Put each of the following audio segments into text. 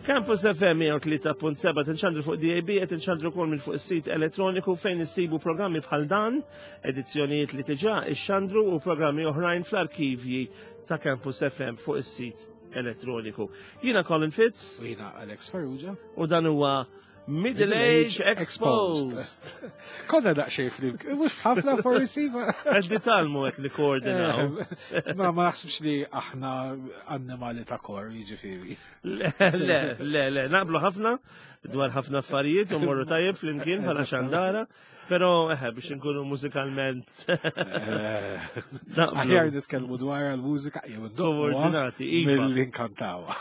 Campus FM 103.7 tinxandru fuq DAB qed tinxandru wkoll minn fuq is-sit elettroniku fejn issibu programmi bħal dan, edizzjonijiet li diġà ixxandru u programmi oħrajn fl-arkivji ta' Campus FM fuq is-sit elettroniku. Jiena Colin Fitz. U jiena Alex Farrugia. U dan huwa Middle Age Exposed. Konna daqxej flim, mux ħafna forsi. ma. Għeddi talmu għek li koordinaw. Eh, ma ma naħsibx li aħna annimali ta' kor, jiġifieri. Le, le, le, le, naqblu ħafna dwar ħafna affarijiet u morru tajjeb flimkien bħala xandara, pero eħe biex nkunu mużikalment. Eh, aħjar nitkellmu dwar għal-mużika jew koordinati, iva. Mill-inkantawa.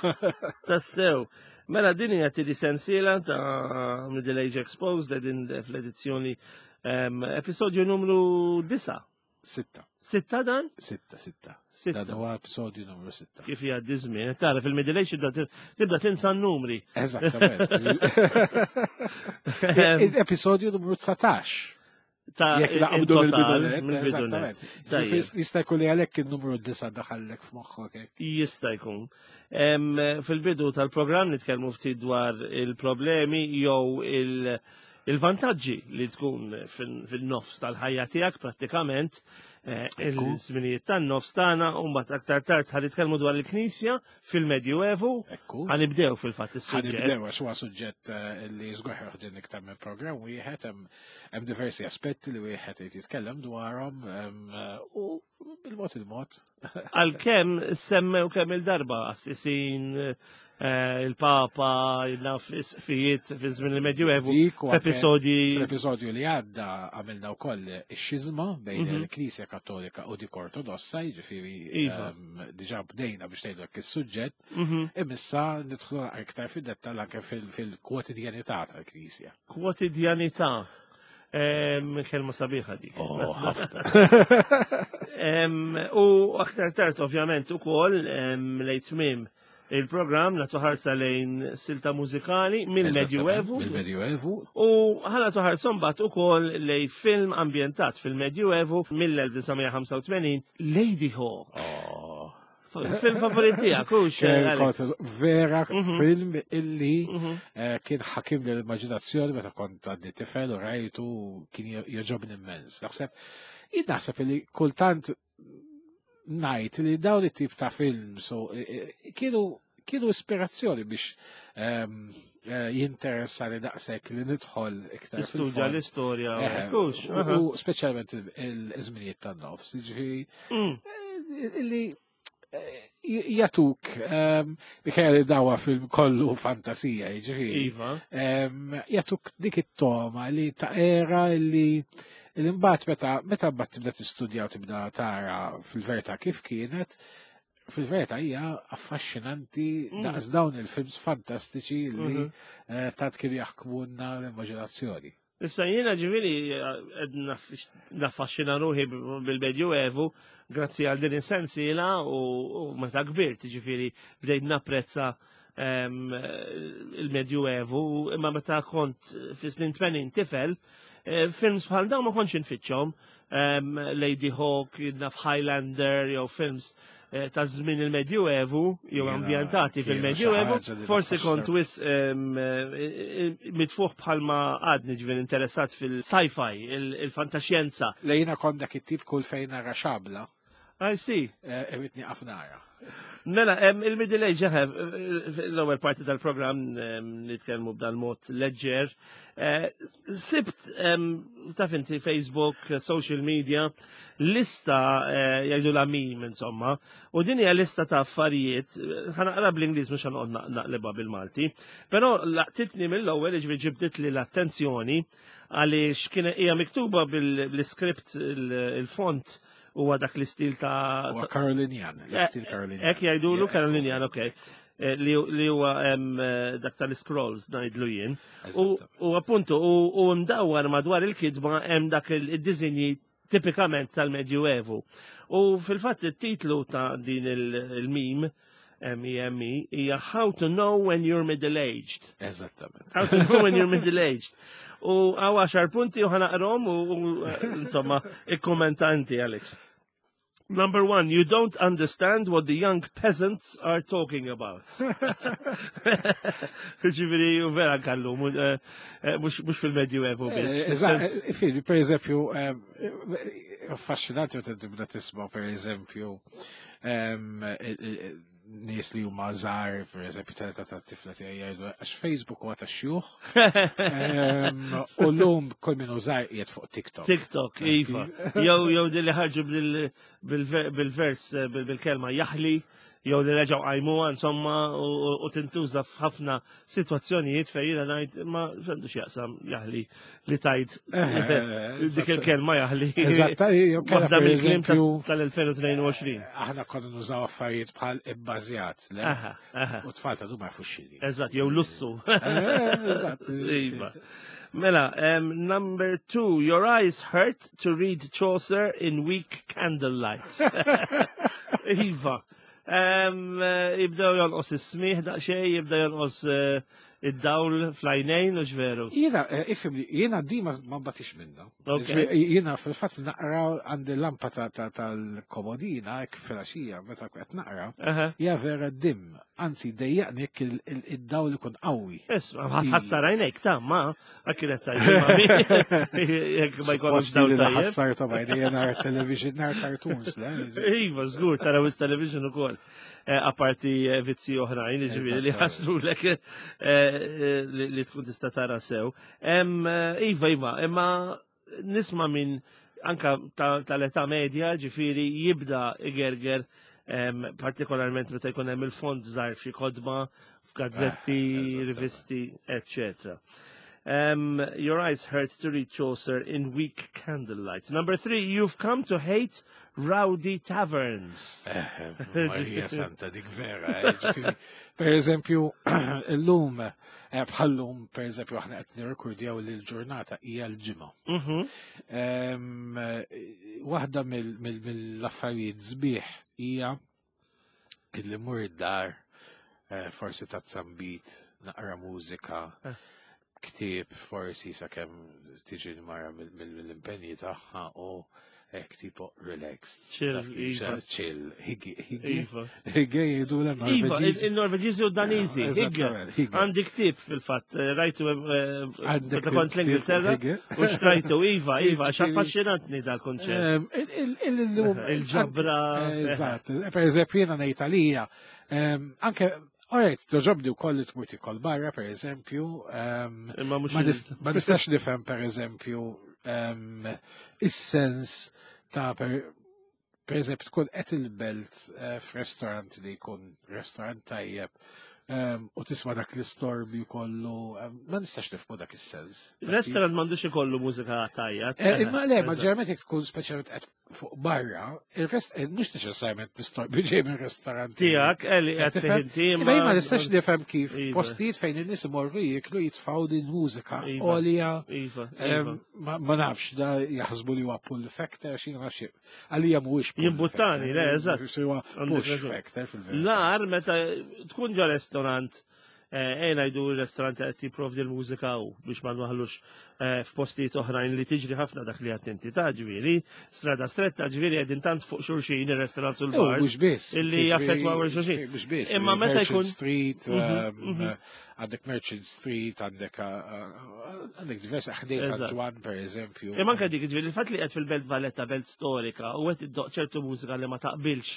Tassew. Mela din hija tieni sensiela ta' Middle Age Exposed din fl-edizzjoni episodju numru 9. Sitta. Sitta dan? Sitta, sitta. Dan huwa episodju numru sitta. Kif jgħaddi żmien, tara fil-Middle Age tibda tinsa n-numri. Eżattament. Episodju numru 19. Ta' Jekk naqbdu mill-bidunet, eżattament. Jista' jkun li għalhekk in-numru disa' daħallek f'moħħok hekk. Jista' jkun. Fil-bidu tal-programm nitkellmu ftit dwar il-problemi jew il-vantaġġi li tkun fin-nofs tal-ħajja tiegħek prattikament eh, il-żminijiet tan-nofs tagħna u mbagħad aktar tard ħa nitkellmu dwar il-Knisja fil-Medjuevu. Ekku. Ħanibdew fil-fatt is-suġġett. Ħanibdew għax huwa suġġett eh, li żgur ħoħdin iktar minn programm wieħed hemm diversi aspetti li wieħed irid jitkellem dwarhom eh, u bil-mod il-mod. Għalkemm semmew kemm il-darba assisin eh, il-Papa, naf isqfijiet fi żmien il-Medjuevu, f'episodji. Fl-episodju li għadda għamilna wkoll ix-xiżma bejn mhm. il-Knisja Kattolika u dik Ortodossa, jiġifieri iva. ehm, diġà bdejna biex tgħidu hekk is-suġġett, mhm. imissa nidħlu aktar fid-dettall anke fil-kwotidjanità tal-Knisja. Kwotidjanità. Ehm, kelma sabiħa dik. Oh, ħafna. Ehm, u aktar tard ovvjament ukoll lejn tmiem il-programm nagħtu ħarsa lejn silta mużikali mill-Medjuevu. Mill-Medjuevu. U ħana tuħarsa mbagħad ukoll lejn film ambjentat fil-Medjuevu mill-1985 Lady Hawk. Oh. Film favorit tiegħek, hux? Eh, vera mhm. film illi mhm. eh, kien ħakim l-immaġinazzjoni meta kont għadni tifel u rajtu kien joġobni immens. Naħseb, jien naħseb illi kultant ngħid li dawn it-tip ta' films e, e, kienu kienu ispirazzjoni biex ehm, e, jinteressani daqshekk li nidħol iktar. Studja l-istorja. U speċjalment il-żminijiet tan-nofs, jiġifieri mm. li jatuk, ehm, minkejja li dawa film kollu fantasija, jiġifieri. Iva. Ehm, jatuk dik it-toma li ta' era li l-imbagħad meta meta mbagħad tibda tistudja u tibda tara fil-verità kif kienet, fil-verità hija affaxxinanti mm. daqs dawn il-films fantastiċi li mm-hmm. eh, tant kienu jaħkmuna l-immaġinazzjoni. Issa jiena ġifieri qed naffaxxina ruħi bil-Medjuevu grazzi għal din is-sensiela u meta kbirt ġifieri bdejt napprezza ehm, il-Medjuevu imma meta kont fi snin 80 tifel eh, films bħal dawn ma kontx infittxhom ehm, Lady Hawk, naf Highlander jew films Eh, ta' żmien il-Medjuevu jew ambjentati fil-Medjuevu, forsi kont wis eh, eh, mitfuħ bħalma għadni ġvien interessat fil-sci-fi, il-fantaxjenza. Lejna kont dak it-tip kull fejn nara xabla. I see. Irrid nieqaf nara. Mela, il-Middle Age, l-ewwel parti tal-programm nitkellmu b'dan mod leġġer. Sibt, taf inti Facebook, social media, lista eh, jgħidu la mim insomma, u din hija lista ta' affarijiet, ħanaqra bl-Ingliż mhux ħanqod naqlibha bil-Malti, però laqtitni mill-ewwel jiġri ġibdit li l-attenzjoni għaliex kien hija miktuba bil-iskript il-font huwa dak l-istil ta' Huwa Carolinjan, l-istil eh, Carolinjan. Hekk jgħidulu Carolinjan, okej. Eh, li huwa eh, dak tal-scrolls ngħidlu jien. U appuntu u mdawwar madwar il-kitba hemm dak id-diżinji tipikament tal-Medjuevu. U fil-fatt it-titlu ta' din il-meme M-E-M-E, hija How to Know When You're Middle-Aged. Eżattament. How to Know When You're Middle-Aged. U għaw għaxar punti u ħanaqrom u insomma, ikkommentanti, Alex. Number one, you don't understand what the young peasants are talking about. Ġifieri, u vera kallu, eh, eh, mhux fil-Medju Evo biss. Eh, fili, per eżempju, affaxxinanti meta tibda tisma' per eżempju, nies li huma żgħar, per eżempju, tal-età tat-tifla tiegħi jgħidu għax Facebook huwa tax-xjuħ. U llum kull min hu żgħar qiegħed fuq TikTok. TikTok, iva. Jew jew li ħarġu bil-vers eh, bil-kelma jaħli jew li reġgħu qajmuha insomma u tintuża f'ħafna sitwazzjonijiet fejn jiena ngħid ma x'għandu x'jaqsam jaħli li tajt eh, eh, dik il-kelma jaħli. Eżatt, waħda mill-kliem tal-2022. Aħna konna nużaw affarijiet bħal ibbażjat, le? U tfal ta' ma jafux x'inhi. Eżatt, jew lussu. Eh, eżatt. Iva. Mela, number two, your eyes hurt to read Chaucer in weak candlelight. Iva. Eh, jibdew jonqos is-smih daqsxejn, jibda jonqos eh, id-dawl fl-għajnejn u veru. Jiena, eh, ifhimni, jiena di ma nbatix minna. Jiena fil-fatt naqra għandi lampa tal-komodina hekk filgħaxija meta qed naqra, hija vera dim, anzi dejjaqni jekk id-dawl ikun qawwi. Isma' ħassar għajnejk ta' ma Kienet tajba. Jekk ma jkollux dawl tajjeb. Ħassar ta' bajni nar television, nar cartoons, le? Iva, żgur, taraw is-television ukoll. Eh, apparti eh, vizzi oħrajn, ġifieri li ħaslu lek eh, li tkun tista' tara sew. Iva, iva, imma nisma' minn anka tal-età medja, ġifieri jibda igerger partikolarment meta jkun hemm il-fond żgħar f'xi kodba, f'gazzetti, eh, rivisti, etc. Your eyes hurt to read Chaucer in weak candlelight. Number three, you've come to hate rowdy taverns. Eh, eh, Maria Santa, dik vera. Per eżempju, l-lum, bħallum, per eżempju, aħna qed nirrekordjaw li l-ġurnata hija l-ġimgħa. Mhm. Waħda mill-affarijiet sbieħ hija illi mur id-dar, eh, forsi ta' zambit, naqra mużika, eh. ktieb forsi sakemm tiġi l-mara mill-impenji tagħha u hekk tipo relaxed. Chill, iva. Chill, higgi, higgi. Iva. Higgi jgħidu l-Norveġiżi. Il-Norveġiżi u Daniżi. Higgi. Għandi ktieb fil-fatt, eh, rajtu meta kont l-Ingilterra u xtrajtu, iva, iva, għax affaxxinantni dal-konċett. Il-ġabra. Eżatt, per eżempju jiena ngħid għalija, anke Alright, toġobni u koll li tmur tikol barra, per eżempju. Ma nistax nifhem, per eżempju, is-sens ta' per Per eżempju, tkun qed il-belt eh, f'restaurant li jkun restaurant tajjeb ehm, u tisma' dak l-istorbju kollu, ehm, ma nistax nifhmu dak is-sens. Restaurant m'għandux ikollu mużika tajja. Eh, imma le, ma ġerment jekk tkun speċjalment qed fuq barra, il-rest eh, mhux neċessarjament l-istorbju ġej minn restaurant. Tiegħek, li qed inti. Imma ma nistax nifhem kif iva. postijiet fejn in-nies imorru jieklu jitfgħu din mużika iva. għolja. Iva, ehm, ma nafx da jaħsbu li huwa pull factor xi nafx Għalija mhuwiex Jimbuttani, le, eżatt. Push factor fil-verità. Lar meta tkun ġo restorant eh, ejna jdu il-restorant qed jipprovdi l-mużika u biex ma nwaħlux eh, f'postijiet oħrajn li tiġri ħafna dak li qed inti ta' ġifieri, strada stretta ġifieri qegħdin tant fuq xulxin ir-restorant sul bar. Mhux biss. Illi jaffettwaw il-xulxin. Mhux biss. Imma meta jkun Street, mhm, mhm. Għandek Merchant Street, għandek għandek diversi ħdej San Ġwan, per eżempju. Imma anke dik, ġifieri, il-fatt li qed fil-Belt Valletta, belt storika, u qed iddoq ċertu mużika li ma taqbilx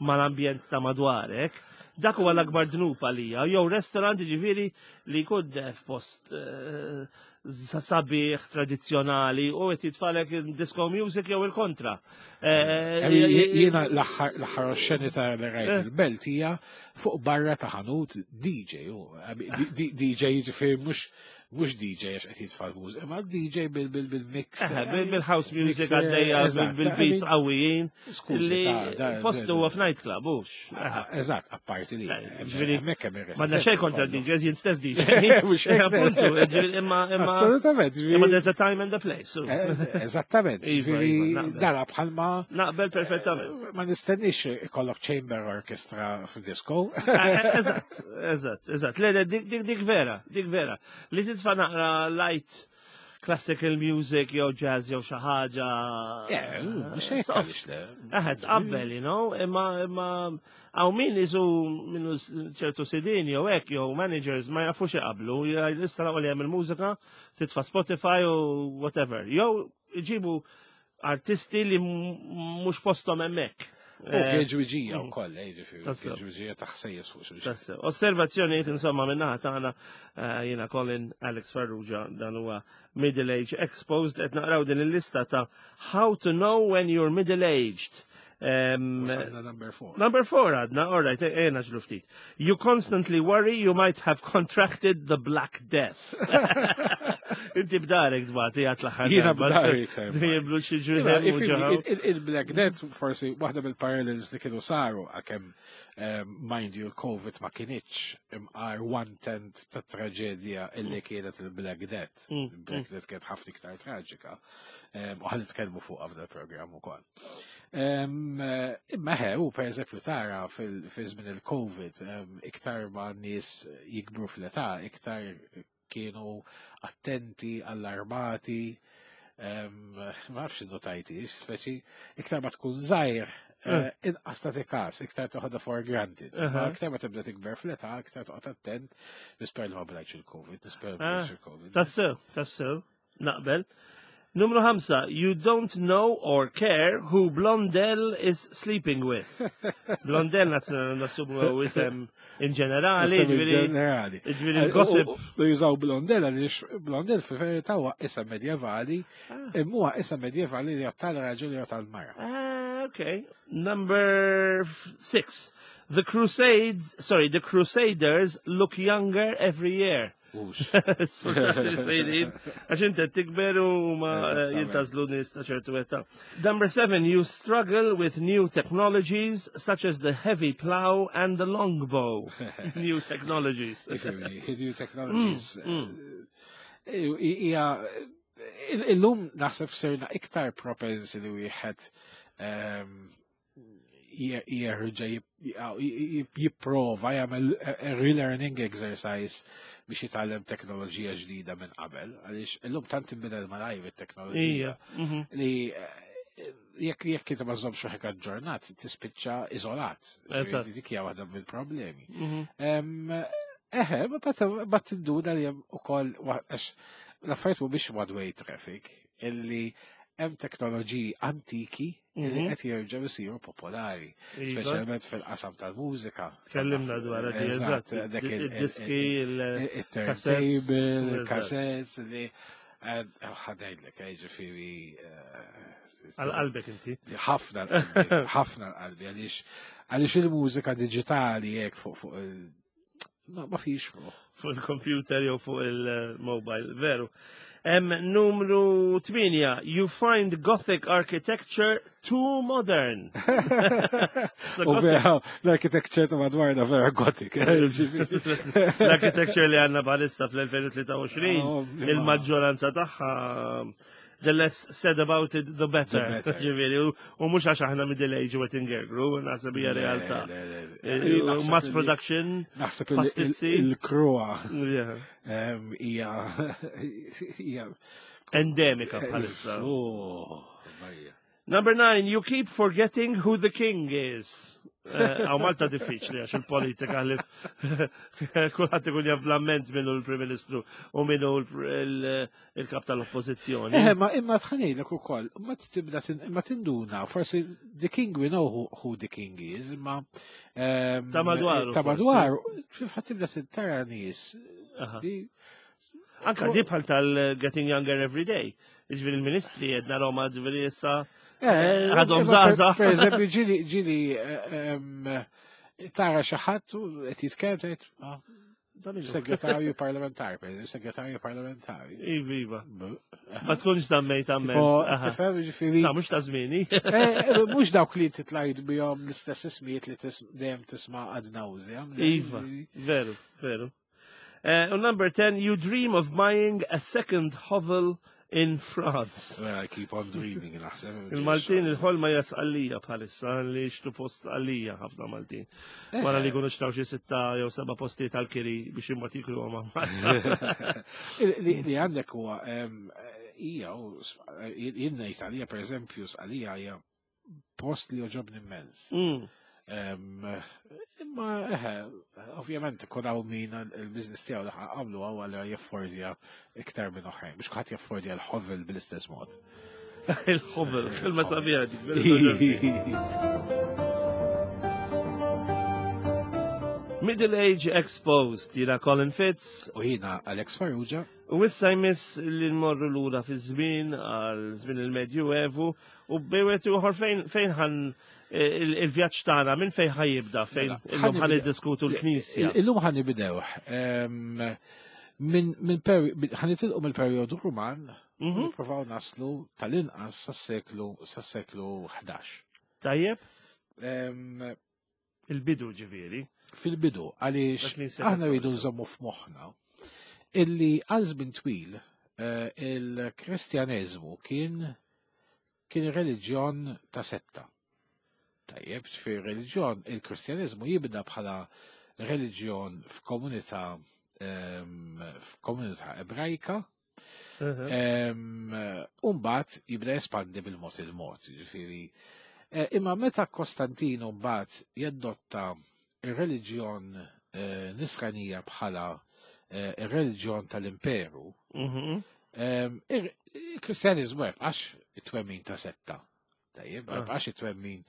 mal-ambjent ta' madwarek, dak huwa l-akbar dnub għalija. Jew restaurant ġifieri li jkun f'post eh, sabiħ tradizzjonali u qed jitfalek disco music jew il-kontra. Eh, jiena l-aħħar xeni ta' li rajt eh. il-belt hija fuq barra ta' ħanut DJ, DJ jiġifieri mhux mhux DJ għax qed jitfa' l-mużika, imma DJ bil-mix. Eh, bil-house music għaddejja, bil-beats qawwijin. Skużi, postu huwa f'night club, hux. Eżatt, apparti li. Ġifieri, ma xejn kontra DJs, jien stess DJ. Mhux Appuntu, imma imma. Assolutament. Imma there's a time and a place. Eh, eżattament. Iva, ġifieri iva, dara bħalma. Naqbel perfettament. Ma nistennix ikollok chamber orchestra f'disco. Eh, eżatt, eżatt, eżatt. Le, dik vera, dik vera. Li titfa' naqra light. classical music jew jazz jew xi ħaġa. Mhux hekk għaliex le. Eħe, tqabbel, you know, imma hawn min isu minnu ċertu sidin jew hekk jew managers ma jafux iqablu, issa li hemm il-mużika, titfa' Spotify u whatever. Jew iġibu artisti li mhux posthom hemmhekk. U kieġwiġija u koll, ġifieri, kieġwiġija taħsejjes fuq xulxin. Osservazzjonijiet insomma minnaħa tagħna jiena Colin Alex Farrugia, dan huwa Middle Age Exposed, qed naqraw din il-lista ta' How to Know When You're Middle Aged. Number 4. Number 4 għadna, all right, ejna ġlu ftit. You constantly worry you might have contracted the Black Death. Inti b'darek dbati għat l-aħħar. Jiena b'darek. Jiblu xi ġuħem u ġeħaw. Il-Black Death, forsi, waħda mill-parallels li kienu saru, għakem, mind you, il-Covid ma kienitx imqar one-tenth ta' traġedja illi kienet il-Black Death. Il-Black Death kienet ħafna iktar traġika. U ħalli tkellmu fuq f'dal programm ukoll. Imma ħe, u per eżempju tara fil-żmien il-Covid, iktar ma nies jikbru fl-età, iktar kienu attenti, allarmati, ma nafx innotajtix, speċi iktar ma tkun żgħir, inqas tagħti każ, iktar toħodha for granted. Iktar ma tibda tikber fl-età, iktar toqgħod attent, nisper li ma blajtx il-Covid, nisper li ma blajtx il-Covid. Tassew, tassew, naqbel. Numru 5, you don't know or care who Blondel is sleeping with. Blondel nassumu isem in ġenerali. Isem in ġenerali. Ġifieri il-gossip. U jużaw Blondel għaliex Blondel fil-verità huwa isem medjevali, imma huwa isem medjevali li jgħod tal-raġel jew tal-mara. Okay. Number 6, the Crusades, sorry, the Crusaders look younger every year. Għax inti tikber u ma jintazlu nies ta' ċertu età. Number 7, you struggle with new technologies such as the heavy plow and the longbow. New technologies. New technologies. Ija, illum naħseb sirna iktar propensi li wieħed jerġa' jipprova jagħmel relearning exercise biex jitgħallem teknoloġija ġdida minn qabel, għaliex illum tant tinbidel malajr it-teknoloġija li jekk inti ma żommx ruħek aġġornat tispiċċa iżolat. Dik hija waħda mill-problemi. Eħe, ma tinduna li hemm ukoll għax l-affarijiet mhumiex one way traffic, illi hemm teknoloġiji antiki li qed jerġgħu jsiru popolari, speċjalment fil-qasam tal-mużika. Tkellimna dwar hekk, eżatt, id-diski, il-turntable, il-cassettes, li ħanejdlek, ġifieri. Għal-qalbek inti. Ħafna l-qalbi, ħafna l-qalbi, għaliex il-mużika diġitali hekk fuq il- ma fix ruħ. Fuq il-computer jew fuq il-mobile, veru. Numru 8, you find Gothic architecture too modern. U vera, l-architecture ta' madwarna vera Gothic. L-architecture li għanna bħalissa fl-2023, il-maġġoranza tagħha, the less said about it, the better. The better. Ġifieri, u mhux għax aħna middle age u qed ingergru, naħseb hija realtà. Le, le, le. Naħseb Mass production, Naħseb pastizzi. il-kroa hija Endemika bħalissa. Oh, Marija. Number 9, you keep forgetting who the king is. Għaw Malta diffiċli għax il-politika li kulħadd ikun jaf bl-amment minnu l-Prim Ministru u minnu il-kap tal-Oppożizzjoni. Ma imma tħanejlek ukoll, ma tibda ma tinduna, forsi the king we know who the king is, imma, Ta' madwaru ta' forsi. madwaru, kif ħadd tibda tara nies li Anka di bħal tal-Getting Younger Every Day. Ġifieri il-ministri jedna Roma ġifieri issa għadhom żgħażagħ. Per eżempju, ġili tara xi ħadd u qed jitkellem tgħid, segretarju parlamentari, per eżempju, segretarju parlamentari. Iva, iva. Ma tkunx dammejt amment. Tipo, Aha. tifhem, ġifieri. Ta' mhux ta' żmieni. Mhux dawk li titlajt bihom l-istess ismijiet li dejjem tisma' ad nauseam. Iva, veru, veru. U number 10, you dream of buying a second hovel in France. Well, I keep on dreaming, naħseb. Il-Maltin il-ħolma hija Sqallija bħalissa, li xtu post Sqallija ħafna Maltin. Wara li jkunu xtraw xi 6 jew 7 postijiet tal-kiri biex imbagħad jiklu ma' Malta. Li għandek huwa Ija, jien ngħid għalija pereżempju Sqalija hija post li joġobni immens. Imma eħe, ovvjament ikun hawn min il-biznis tiegħu li għamlu għaw għal jaffordja iktar minn oħrajn, biex kulħadd jaffordja l-ħovel bl-istess mod. Il-ħovel, kelma sabiħa dik. Middle Age Exposed, jina Colin Fitz. U jina Alex Farrugia. U issa jmiss li nmorru lura fi żmien għal żmien il-Medjuevu u bejwet uħor fejn ħan il-vjaġġ tagħna minn fejn ħa jibda fejn mela, illum ħan niddiskutu l-Knisja. Illum ħan nibdew minn ħan nitilqu mill-perjodu Ruman nippruvaw naslu tal-inqas sas-seklu sas-seklu 11. Tajjeb? Il-bidu ġifieri. Fil-bidu, għaliex aħna rridu nżommu f'moħħna illi għal żmien twil eh, il-Kristjaneżmu kien kien reliġjon ta' setta. Tajjeb, fi reliġjon il-Kristjaneżmu jibda bħala reliġjon f'komunità f'komunità ebrajka Umbat jibda jespandi bil-mod il-mod, ġifiri. Eh, imma meta Kostantino mbagħad jaddotta ir-reliġjon eh, nisranija bħala eh, ir-reliġjon tal-imperu, mhm. il-Kristjaniżmu jibqax it-twemmin ta' setta. Tajjeb, ah. jibqax it-twemmin.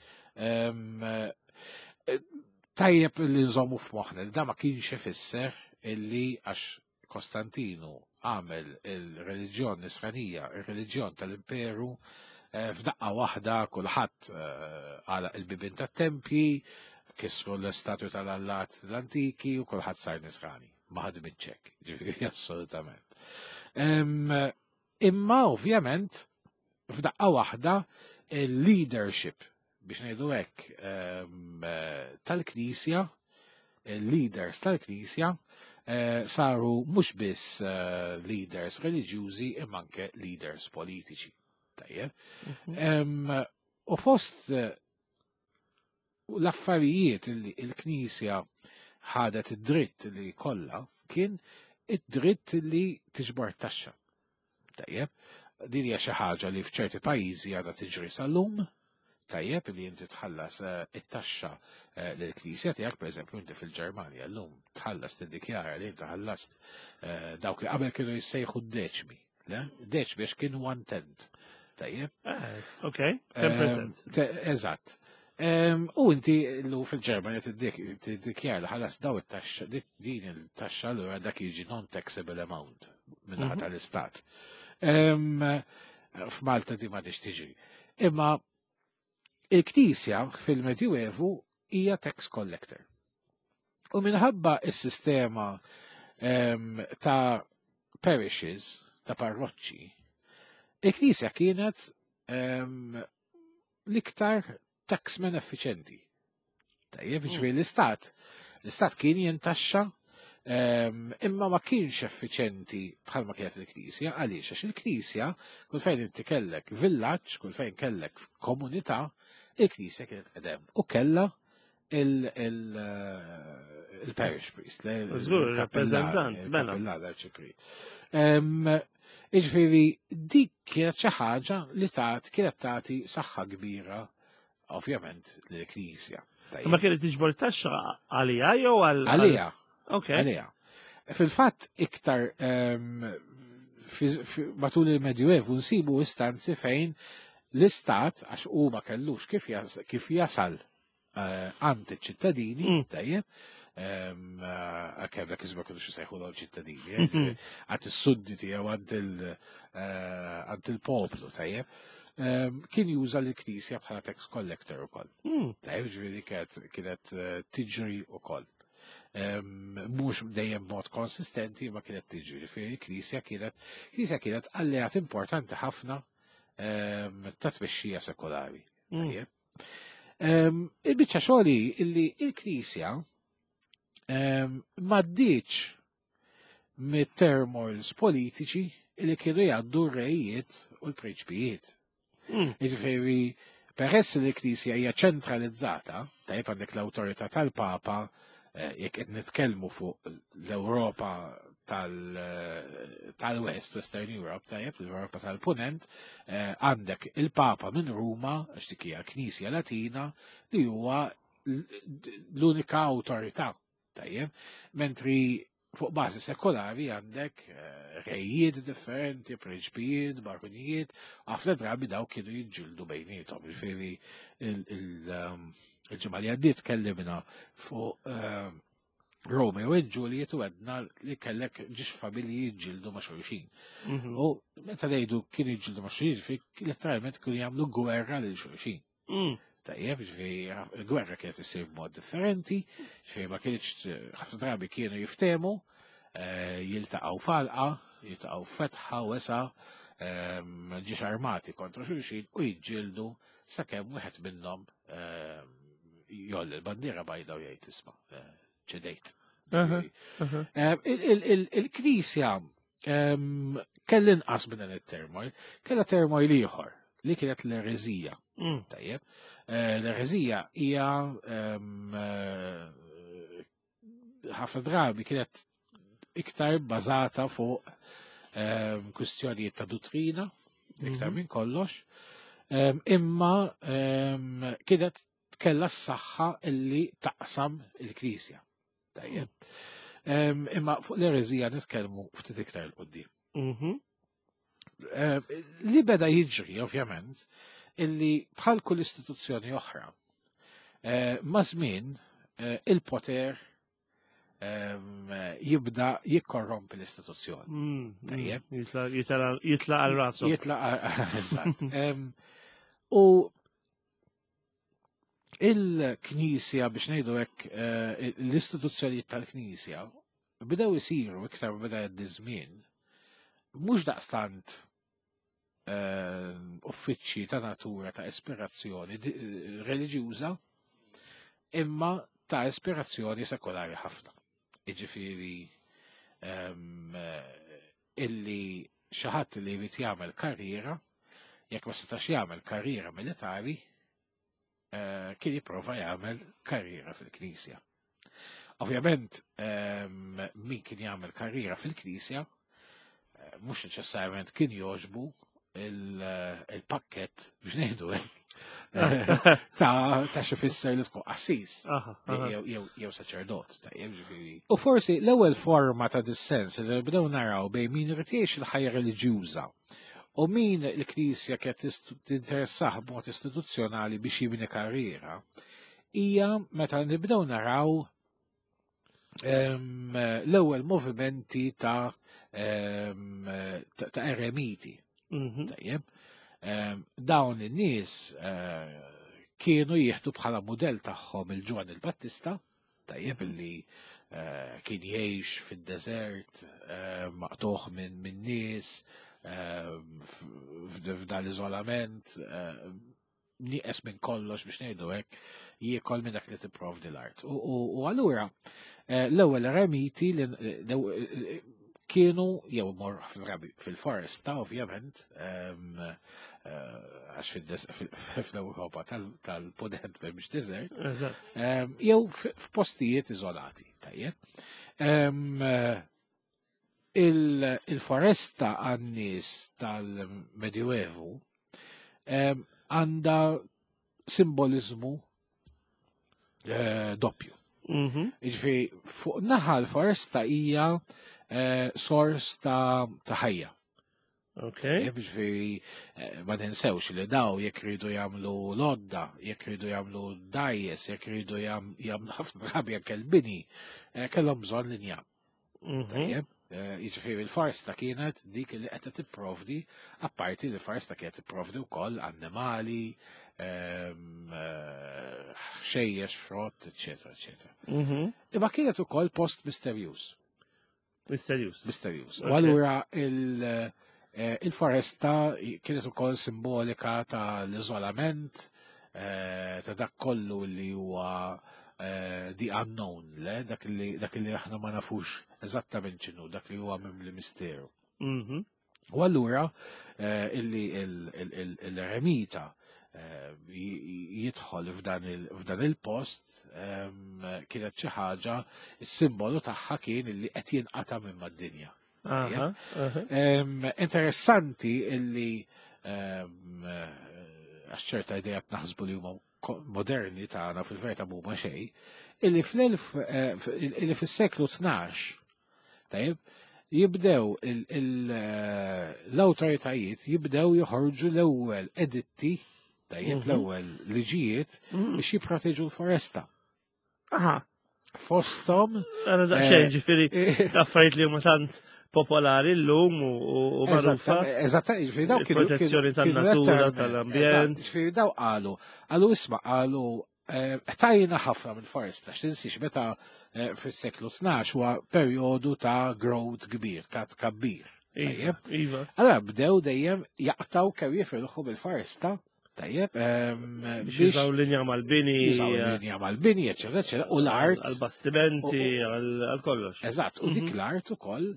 Tajjeb li nżommu f'moħħna li da ma kienx ifisser illi għax Kostantinu għamel il-reliġjon nisranija, il-reliġjon tal-imperu, eh, f'daqqa waħda kulħadd eh, għalaq il-bibien tat-tempji, kisru l-istatwi tal-allat l-antiki u kulħadd sar nisrani. Ma ħadmitx hekk, ġifieri assolutament. Imma ovvjament f'daqqa waħda il-leadership biex ngħidu hekk tal-Knisja, il-leaders tal-Knisja eh, saru mhux biss eh, leaders reliġjużi imma anke leaders politiċi. Tajjeb. Mhm. U fost eh, l-affarijiet li l-Knisja ħadet id-dritt li kollha kien id-dritt li tiġbor taxxa. Tajjeb, din hija xi ħaġa li f'ċerti pajjiżi għadha tiġri sal-lum, tajjeb li inti tħallas eh, it-taxxa eh, lill-Knisja tiegħek, pereżempju inti fil-Ġermanja llum tħallas tiddikjara li inti ħallast eh, dawk li qabel kienu jissejħu d-deċmi. Le? Deċmi għax kien one tenth. Tajjeb. Ok, 10%. Eżatt. U inti l fil-Ġermanja tiddikjara li ħallas daw it-taxxa, din il-taxxa allura dak jiġi non-taxable amount minnaħa mhm. tal-istat. F'Malta di ma tiġi. Imma il-Knisja fil-Medjuevu hija tax collector. U minħabba is-sistema ta' parishes, ta' parroċċi, il-Knisja kienet l-iktar taxman effiċenti. Tajjeb, mm. ġifieri l-istat, l-istat kien jintaxxa ehm, imma ma kienx effiċenti bħalma kienet il-Knisja, għaliex għax il-Knisja kull fejn inti kellek villaġġ, kull fejn kellek komunità, il-Knisja kienet qedem u kellha il-parish priest, il-rappresentant, mela. Ehm, Iġifieri dik kienet xi ħaġa li tat kienet tagħti saħħa kbira ovvjament lill-Knisja. Ma kienet tiġbor taxxa għalija jew għal Għalija. Ok. Għalija. Fil-fatt iktar ehm, matul il-Medjuevu nsibu istanzi fejn l-istat għax u ma kellux kif jasal eh, għand iċ-ċittadini, mm. tajjeb, ehm, eh, għakem dak iżma kienu xisejħu dawn ċittadini, eh, mm-hmm. għand is-sudditi jew għand il-poplu, tajjeb. Ehm, kien juża l-knisja bħala tax collector ukoll. Mm. Tajjeb, ġifieri kienet tiġri ukoll. Ehm, mhux dejjem mod konsistenti ma kienet tiġri, ġifieri knisja kienet knisja kienet alleat importanti ħafna ta' tmexxija sekolari. Mm. Tajjeb. Il-biċċa xogħli illi il-Knisja m'għaddiċ mit-turmoils politiċi li kienu jgħaddu r-rejiet u l-prinċpijiet. Mm. Jiġifieri, peress li l-Knisja hija ċentralizzata, tajjeb għandek l-awtorità tal-Papa, eh, jekk qed nitkellmu fuq l-Ewropa tal-West, Western Europe, tajjeb, l-Europa tal-Punent, għandek il-Papa minn Ruma, għax dik hija l-Knisja Latina, li huwa l-unika awtorità, tajjeb, mentri fuq bażi sekolari għandek rejiet differenti, prinċpijiet, barunijiet, ħafna drabi daw kienu jiġġieldu bejniethom. Ġifieri il-ġimgħa li għaddiet tkellimna fuq Romeo u Juliet u għedna li kellek ġiex familji jiġġieldu ma' xulxin. U meta ngħidu kienu jiġġieldu ma' xulxin, ġifieri letteralment kienu jagħmlu gwerra lil xulxin. Tajjeb, ġifieri il-gwerra kienet issir b'mod differenti, ġifieri ma kienx ħafna drabi kienu jiftehmu, jiltaqgħu falqa, jiltaqgħu fetħa wesa, ġiex armati kontra xulxin u jiġġieldu sakemm wieħed minnhom jolli l-bandiera bajda u jgħid isma' ċedejt. Il-Knisja kell inqas minn dan it-turmoil, kellha turmoil ieħor li kienet l-ereżija. Tajjeb. L-ereżija hija ħafna drabi kienet iktar bbażata fuq kwistjonijiet ta' dottrina, iktar minn kollox, imma kienet kellha s-saħħa illi taqsam il-Knisja. Tajjeb. Imma fuq l-ereżija nitkellmu ftit iktar 'il quddiem. Li beda jiġri, ovvjament, illi bħal kull istituzzjoni oħra, ma' żmien il-poter jibda jikkorrompi l-istituzzjoni. Tajjeb. Jitla għal rasu. Jitla eżatt. U il-Knisja, biex ngħidu hekk, l-istituzzjonijiet tal-Knisja bdew isiru iktar beda jgħaddi żmien, mhux daqstant uffiċċji ta' natura ta' ispirazzjoni reliġjuża, imma ta' ispirazzjoni sekolari ħafna. Jiġifieri illi xi ħadd li jrid jagħmel karriera, jekk ma setax jagħmel karriera militari, kien jipprova jagħmel karriera fil-Knisja. Ovvjament, min kien jagħmel karriera fil-Knisja, mhux neċessarjament kien jogħġbu il-pakket biex ngħidu hekk ta' xi fisser li tkun qassis jew saċerdot, tajjeb, ġifieri. U forsi l-ewwel forma ta' dissens li bdew naraw bejn min irid jgħix il-ħajja reliġjuża u min il-Knisja kienet tinteressah b'mod istituzzjonali biex jibni karriera hija meta nibdew naraw l-ewwel movimenti ta' eremiti. Tajjeb. Dawn in-nies kienu jieħdu bħala mudell tagħhom il-Ġwanni il-Battista, tajjeb, illi kien jgħix fid-deżert, maqtuħ minn nies, f'dan l-iżolament, nieqes minn kollox biex ngħidu hekk, jiekol minn dak li tipprovdi l-art. U allura l-ewwel eremiti li kienu jew mor ħafna drabi fil-foresta, ovvjament, għax fl-Ewropa tal-Punent m'hemmx desert, jew f'postijiet iżolati, tajjeb. Il-foresta għan-nies tal-Medjuevu għandha simbolizmu doppju. Jiġifieri, fuq naħa l-foresta hija sors ta' ħajja. Jiġifieri, ma ninsewx li daw jekk ridu jagħmlu lodda, jekk ridu jagħmlu dgħajjes, jekk ridu jagħmlu ħafna drabi anke l-bini, kellhom bżonn linja. Tajjeb, jiġifieri l-foresta kienet dik li qed tipprovdi, apparti li l-foresta kienet tipprovdi wkoll annimali, xejjex, frott, eċetera, eċetera. Imma kienet ukoll post misterjuż. Misterjuż. Misterjuż. U allura il-foresta kienet ukoll simbolika tal-iżolament, ta' dak kollu li huwa the unknown, le? Dak li aħna ma nafux eżattament x'inhu, dak li huwa mimli misteru. U allura illi l-eremita jidħol f'dan il-post kienet xi ħaġa, is-simbolu tagħha kien li qed jinqata' minn mad-dinja. Interessanti illi għax ċerta idejat naħsbu li huma moderni tagħna fil-verità mhuma xejn, illi fl-elf eh, illi fis-seklu 12 tajjeb jibdew eh, l-awtoritajiet jibdew joħorġu l-ewwel editti tajjeb l-ewwel liġijiet biex jipproteġu l-foresta. Aha. Fostom. Għana daqxejn eh, ġifiri, affarijiet li huma tant popolari l-lum u magħrufa. Eżatt, ġifiri daw kienu. Protezzjoni tan-natura, tal-ambjent. Ġifiri daw qalu, qalu isma' qalu eh, tajna ħafna minn foresta, x'tinsiex meta eh, fis-seklu 12 huwa perjodu ta' growth kbir, ta' tkabbir. Iva, iva. Allora bdew dejjem jaqtaw kemm jifilħu bil-foresta Tajjeb, biex jużaw linja mal-bini. Jużaw eh, linja mal-bini, eccetera, eccetera, u l-art. Għal-bastimenti, għal-kollox. Eżatt, u dik l-art ukoll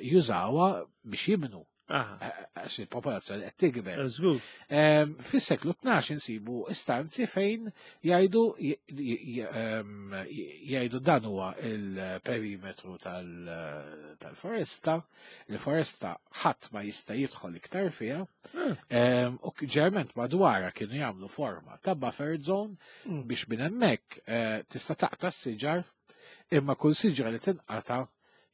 jużawha biex jibnu. Għax il-popolazzjoni qed tikber. Fis-seklu 12 insibu istanzi fejn jgħidu jgħidu dan huwa il-perimetru tal-foresta, il-foresta ħadd ma jista' jidħol iktar fiha. U ġerment madwarha kienu jagħmlu forma ta' buffer zone biex minn hemmhekk eh, tista' taqta' s-siġar imma kull siġra li tinqata'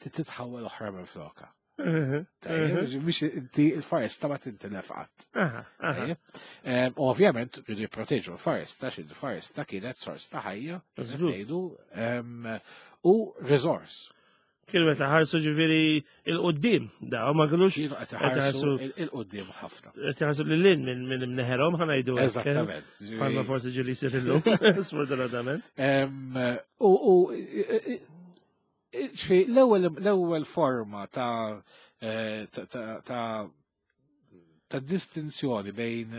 titħawwel oħra minn floka. Biex inti il-foresta ma tintilef qatt. Ovvjament, rridu jipproteġu l-foresta, xi l-foresta kienet sors ta' ħajja, ngħidu, u resource. Kienu qed iħarsu ġifieri il-qudiem, da ma kinux kienu qed iħarsu il-qudiem ħafna. Qed iħarsu lil hinn minn imneħerhom ħa ngħidu. Eżattament. Bħalma forsi ġieli jsir illum, sfortunatament. U ġifi l-ewwel forma ta' eh, ta' ta' distinzjoni bejn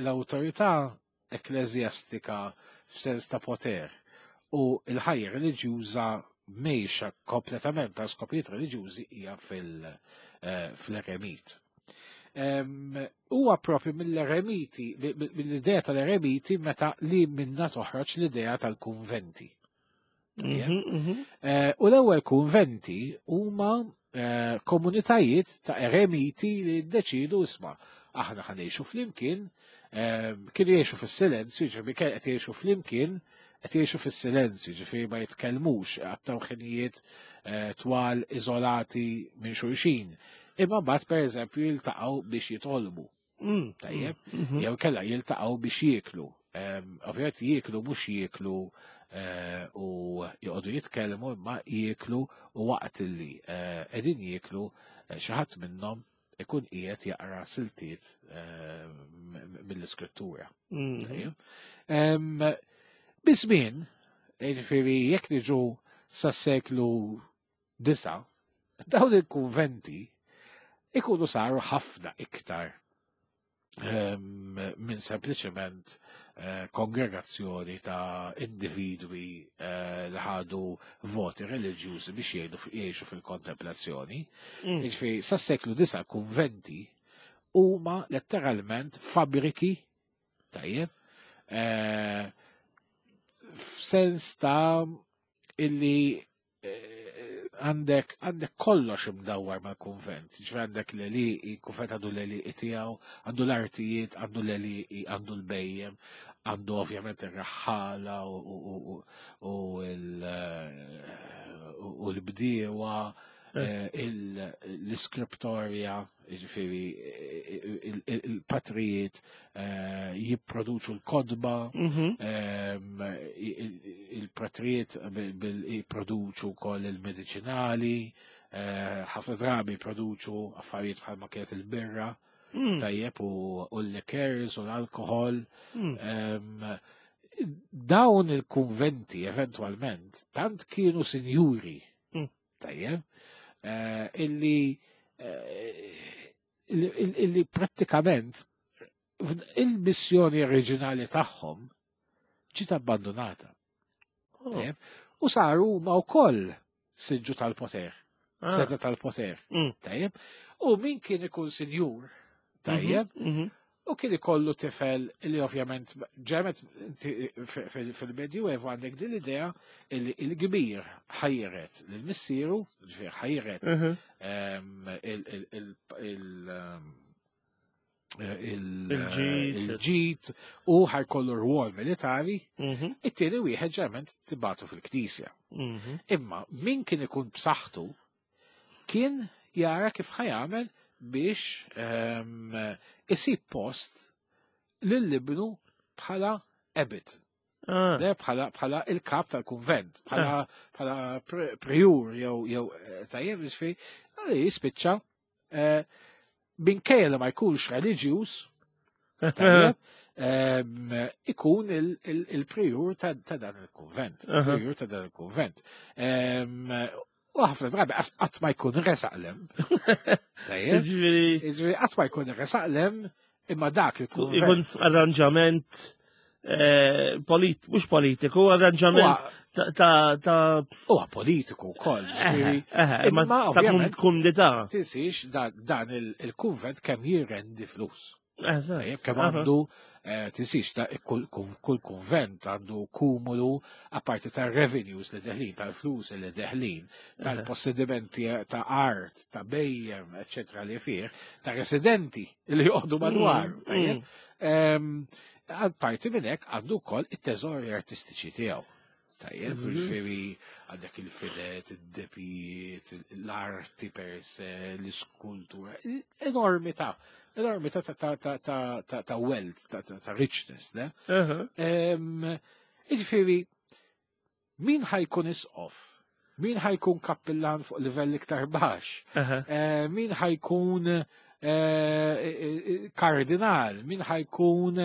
l-awtorità ekkleżjastika f'sens ta' poter u l-ħajja reliġjuża mgħejxa kompletament għal skopijiet reliġjużi hija fil-eremit. Huwa propju mill-eremiti, mill-idea tal-eremiti meta li minna toħroġ l-idea tal-kunventi. U l-ewwel kunventi huma eh, komunitajiet ta' eremiti li ddeċidu isma' aħna ħanejxu flimkien, eh, kienu jgħixu fis-silenzju, ġifieri kien qed jgħixu flimkien, qed jgħixu fis-silenzju, ġifieri ma jitkellmux, għattaw ħinijiet twal iżolati minn xulxin. Imma mbagħad pereżempju jiltaqgħu biex jitolbu. Tajjeb, jew kella jiltaqgħu biex jieklu. Ovvjament jieklu mhux jieklu eh, u joqogħdu jitkellmu imma jieklu u waqt li eh, qegħdin jieklu eh, xi ħadd minnhom ikun qiegħed jaqra siltiet mill-iskrittura. Tajjeb. Biż-żmien, jiġifieri jekk niġu sas-seklu 9, dawn il-kunventi ikunu saru ħafna iktar ehm, minn sempliċement eh, kongregazzjoni ta' individwi eh, li ħadu voti reliġjużi biex jgħidu jgħixu fil-kontemplazzjoni. Jiġifieri sas-seklu 9 kunventi huma letteralment fabbriki tajjeb eh, f'sens ta' illi għandek għandek kollox imdawwar mal-kunvent. Ġifieri għandek l-għelieqi, kunvent għandu l-għelieqi tiegħu, għandu l-artijiet, għandu l-għelieqi, għandu l-bejjem, għandu ovvjament ir-raħħala u l-bdiewa, eh, l-iskriptorja, Ġifieri il-patrijiet eh, jipproduċu l-kodba, ehm, il-patrijiet jipproduċu wkoll il-mediċinali, eh, ħafna drabi jipproduċu affarijiet bħalma kienet il-birra, tajjeb u l-likers u l-alkohol. Ehm, dawn il-kunventi eventwalment tant kienu sinjuri Tajjeb, eh, illi eh, illi prattikament il-missjoni oriġinali tagħhom ġiet abbandonata. Oh. U saru huma wkoll siġġu tal-poter, ah. seta tal-poter. Tajjeb. U min kien ikun sinjur, tajjeb, U kien ikollu tifel li ovvjament ġemet fil-Medju Evu għandek din l-idea li il-kbir ħajret lil missieru, ġifieri ħajret il-ġid u ħajkollu rwol militari, it-tieni wieħed ġerment tibatu fil-knisja. Imma min kien ikun b'saħħtu kien jara kif ħajamel biex isib post lil ibnu bħala abbot. Le, bħala il-kap tal-kunvent, bħala prior jew tajjeb ġifieri, għalli jispiċċa minkejja li ma jkunx reliġjuż, tajjeb, ikun il-prior ta' dan il-kunvent. Prior ta' dan il-kunvent. U ħafna drabi qatt ma jkun resaq lem. Tajjeb. Ġifieri qatt ma jkun resaq lem imma dak il-kunvent. Ikun arranġament mhux politiku, arranġament ta' Huwa politiku wkoll. Imma ta' ovvjament kumdità. Tinsiex dan il-kunvent kemm jirrendi flus. Eżatt. Kemm għandu, tinsiex ta' kull kunvent għandu kumulu apparti ta' revenues li deħlin, tal-flus li deħlin, tal-possedimenti ta' art, ta' bhejjem, eccetera li fih, ta' residenti li joqogħdu madwar. Tajjeb. Apparti minn hekk għandu wkoll it-teżori artistiċi tiegħu. Tajjeb, ġifieri għandek il-filet, id-depijiet, l-arti per se, l-iskultura, enormità ta' wealth, ta' richness, ne? Ġifieri, min ħa jkun isqof? Min ħa jkun kappillan fuq livell iktar baxx? Min ħa jkun kardinal? Min ħa jkun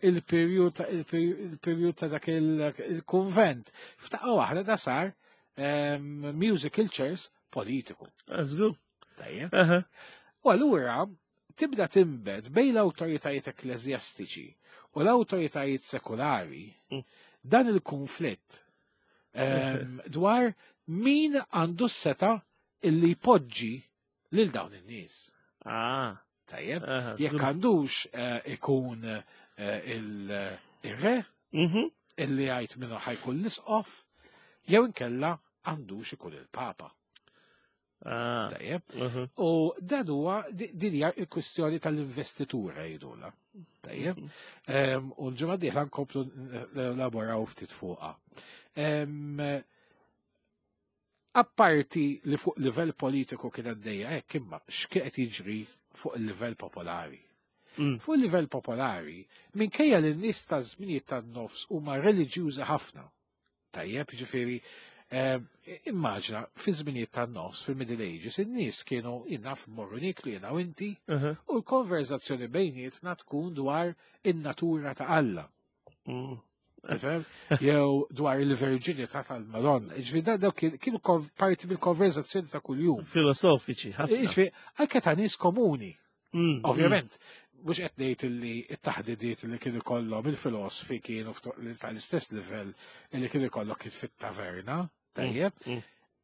il-prior ta' dak il-kunvent? F'daqqa waħda da sar musical chairs politiku. Żgur. Tajjeb. U allura tibda timbet bejn l-awtoritajiet ekkleżjastiċi u l-awtoritajiet sekulari dan il-konflitt dwar min għandu s-setgħa illi jpoġġi lil dawn in-nies. Tajjeb, jekk għandux ikun il-re illi jgħid minnu ħa jkun l-isqof, jew inkella għandux ikun il-papa. Tajjeb. U dan huwa din hija l-kwistjoni tal-investitura jgħidulha. Tajjeb. U l-ġimgħa dieħla nkomplu laboraw ftit fuqha. Apparti li fuq livell politiku kien għaddejja hekk, imma x'kien qed jiġri fuq il-livell popolari? Fuq il-livell popolari, minkejja li n-nies ta' żminijiet tan-nofs huma reliġjużi ħafna. Tajjeb, ġifieri, immaġina, fi żminijiet tan-nofs, fil-Middle Ages, in-nies kienu jinnaf morru niklu jiena u inti, u l-konverzazzjoni bejnietna tkun dwar in-natura ta' Alla. Tifhem? Jew dwar il-verġinità tal-Madonna. Ġifieri daw kienu parti mill-konverzazzjoni ta' kuljum. Filosofiċi, ħafna. Ġifieri, anke ta' nies komuni. Ovvjament, mhux qed ngħid li t-taħdidiet li kienu kollhom il-filosofi kienu tal-istess livell li kienu kollok kif fit-taverna, tajjeb.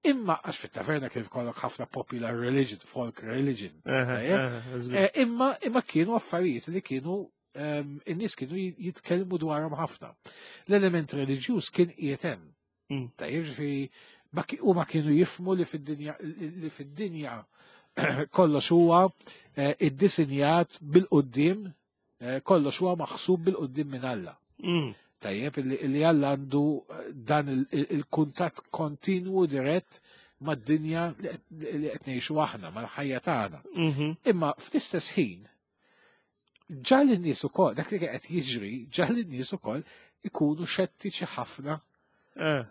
Imma għax fit-taverna kien kollok ħafna popular religion, folk religion, tajjeb. Imma kienu affarijiet li kienu in-nies kienu jitkellmu dwarhom ħafna. L-element reliġjuż kien qiegħed hemm. Tajjeb, ġifieri, huma kienu jifhmu li fid-dinja kollox huwa iddisinjat bil-quddiem, kollox huwa maħsub bil-quddiem minn Alla. Tajjeb, illi Alla għandu dan il-kuntatt kontinwu dirett mad-dinja li qed ngħixu aħna, mal-ħajja tagħna. Imma fl-istess ħin, ġa l-nies ukoll, dak li qed jiġri, ġa l-nies ukoll ikunu xettiċi ħafna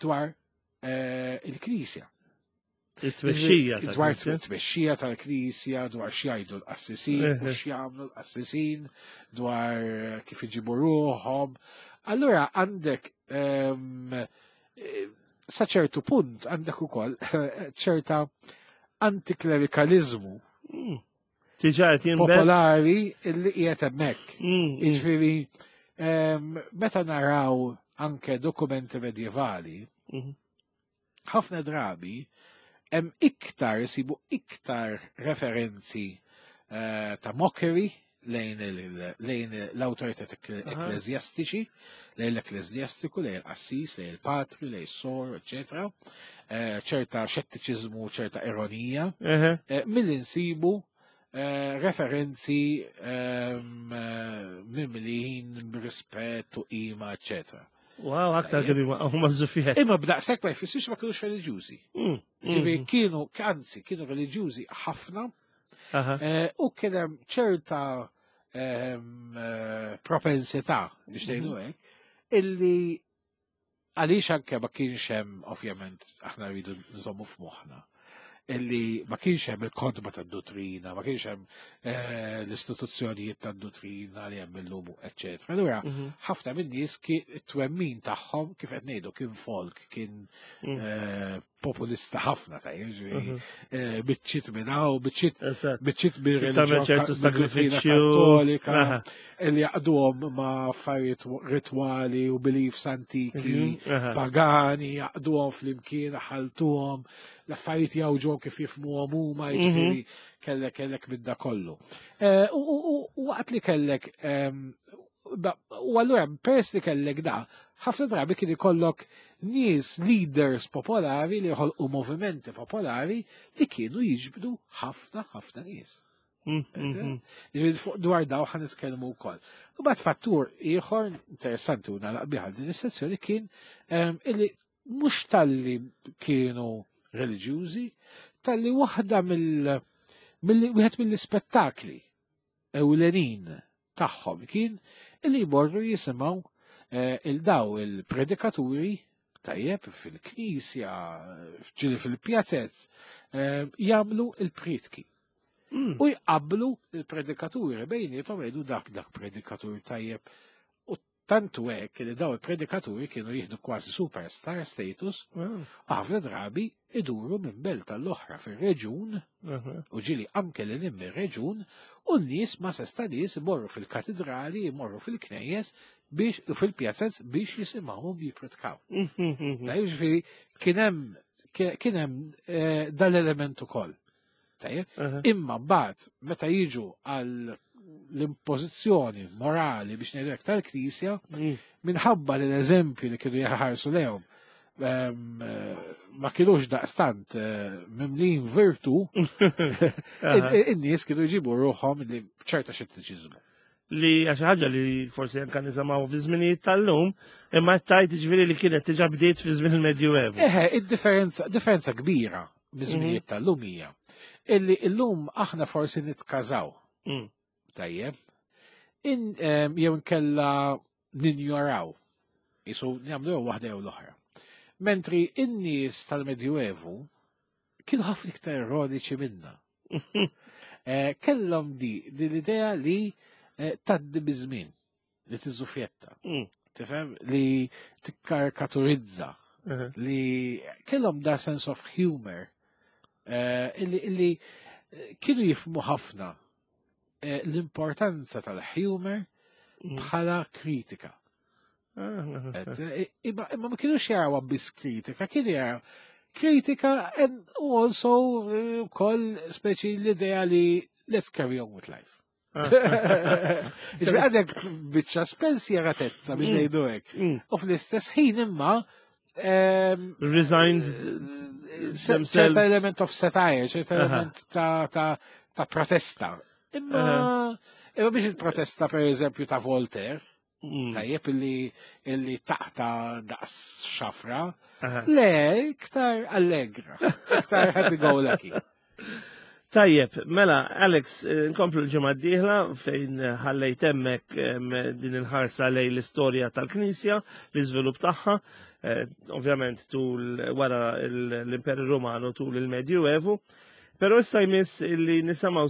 dwar il-Knisja. Il-tmexxija Dwar tal-Knisja. it-tmexxija tal-Knisja, dwar x'jgħidu l-qassisin, u x'jagħmlu l-qassisin, dwar kif iġibu ruħhom. Allura għandek sa ċertu punt għandek ukoll ċerta antiklerikalizmu Diġà qed jinbet. popolari illi qiegħed hemmhekk. Jiġifieri, meta naraw anke dokumenti medjevali, ħafna drabi hemm iktar isibu iktar referenzi ta' mockery lejn l-awtoritajiet ekkleżjastiċi, lejn l-ekkleżjastiku, lejn il-qassis, lejn il-patri, lejn is-sor, eċetera. Ċerta xettiċiżmu, ċerta ironija, milli nsibu referenzi mimlijin b'rispett u qima, eċetera. Wow, aktar kemm huma żufiet. Imma b'daqshekk ma jfissirx ma kinux reliġjużi. Ġifieri kienu, anzi, kienu reliġjużi ħafna. U kien hemm ċerta propensità biex ngħidu hekk illi għaliex anke ma kienx hemm, ovvjament aħna rridu nżommu f'moħħna illi ma kienx hemm il-kotba tad-dottrina, ma kienx hemm l-istituzzjonijiet tad-dottrina li hemm illum, eċċetera. Allura ħafna min-nies it-twemmin tagħhom kif qed ngħidu kien folk, kien populista ħafna ta' jiġifieri, biċċiet minn hawn, biċċiet Tagħmel ċertu mir-reliġjon mid-dottrina sagrifiċċju. Kattolika, illi jaqduhom ma' affarijiet ritwali u beliefs antiki, pagani, jaqduhom flimkien, ħaltuhom, l-affarijiet jawġuhom kif jifhmuhom huma, jiġifieri kellek minn da kollu. U waqt li kellek, u allura peress li kellek da, ħafna drabi kien ikollok nies leaders popolari li jħolqu movimenti popolari li kienu jiġbdu ħafna ħafna nies. Jiġifieri fuq dwar daw ħa nitkellmu wkoll. U bad fattur ieħor interessanti u nagħlaq biha din is-sezzjoni kien illi mhux talli kienu reliġjużi, talli waħda mill, mill wieħed mill-ispettakli ewlenin tagħhom kien illi jmorru jisimgħu il-daw il-predikaturi tajjeb fil-knisja, ġieli fil-pjazez, jagħmlu il-prietki. U jqablu il-predikaturi bejniethom, jgħidu dak predikatur tajjeb. U tantu hekk li daw il-predikaturi kienu jieħdu kważi superstar status, ħafna drabi iduru minn belt tal-oħra fir-reġun, u ġieli anke li nim ir-reġun, u n-nies ma sesta nies imorru fil-katedrali, imorru fil-knejjes biex u fil-pjazzez biex jisimgħuhom jippritkaw. Tajjeb, ġifieri kien hemm dal-element ukoll. Tajjeb, imma mbagħad meta jiġu għal l-impożizzjoni morali biex ngħidu hekk tal-Knisja, minħabba li l-eżempju li kienu jaħarsu lehom ma kienux daqstant mimlin virtu, in-nies kienu jġibu ruħhom li ċerta xettiċiżmu. Li għax ħaġa li forsi anka nisimgħu fi żminijiet tal-lum, imma tajt ġifieri li kienet diġà bdiet fi żmien il-Medjuevu. Eħe, id-differenza, differenza kbira miż-żminijiet tal-lum hija illi illum aħna forsi nitkażaw. Tajjeb. Jew nkella ninjoraw. Isu nagħmlu jew waħda jew l-oħra. Mentri in-nies tal-Medjuevu kienu ħafna iktar ironiċi minna. Kellhom di l-idea li taddi biż-żmien, li tiżufjetta. Tifhem? Li tikkarikaturizza. Li kellhom da sense of humor illi kienu jifhmu ħafna l-importanza tal-humor bħala kritika. Imma ma kienux jarawha biss kritika, kienu jaraw kritika and also ukoll speċi l-idea li let's carry on with life. Ġifieri għadek biċċa spensieratezza biex ngħidu hekk. U fl-istess ħin imma Resigned ċerta themselves. element of satire, ċerta element ta' protesta. Imma biex il-protesta per eżempju ta' Voltaire, tajjeb illi taqta daqs xafra, le, iktar allegra, iktar happy go lucky. Tajjeb, mela, Alex, nkomplu l-ġimgħa d-dieħla fejn ħallejt hemmhekk din il-ħarsa lejn l-istorja tal-Knisja, l-iżvilupp tagħha, ovvjament tul wara l-Imperu Romanu tul il-Medjuevu. Però issa jmiss li nisimgħu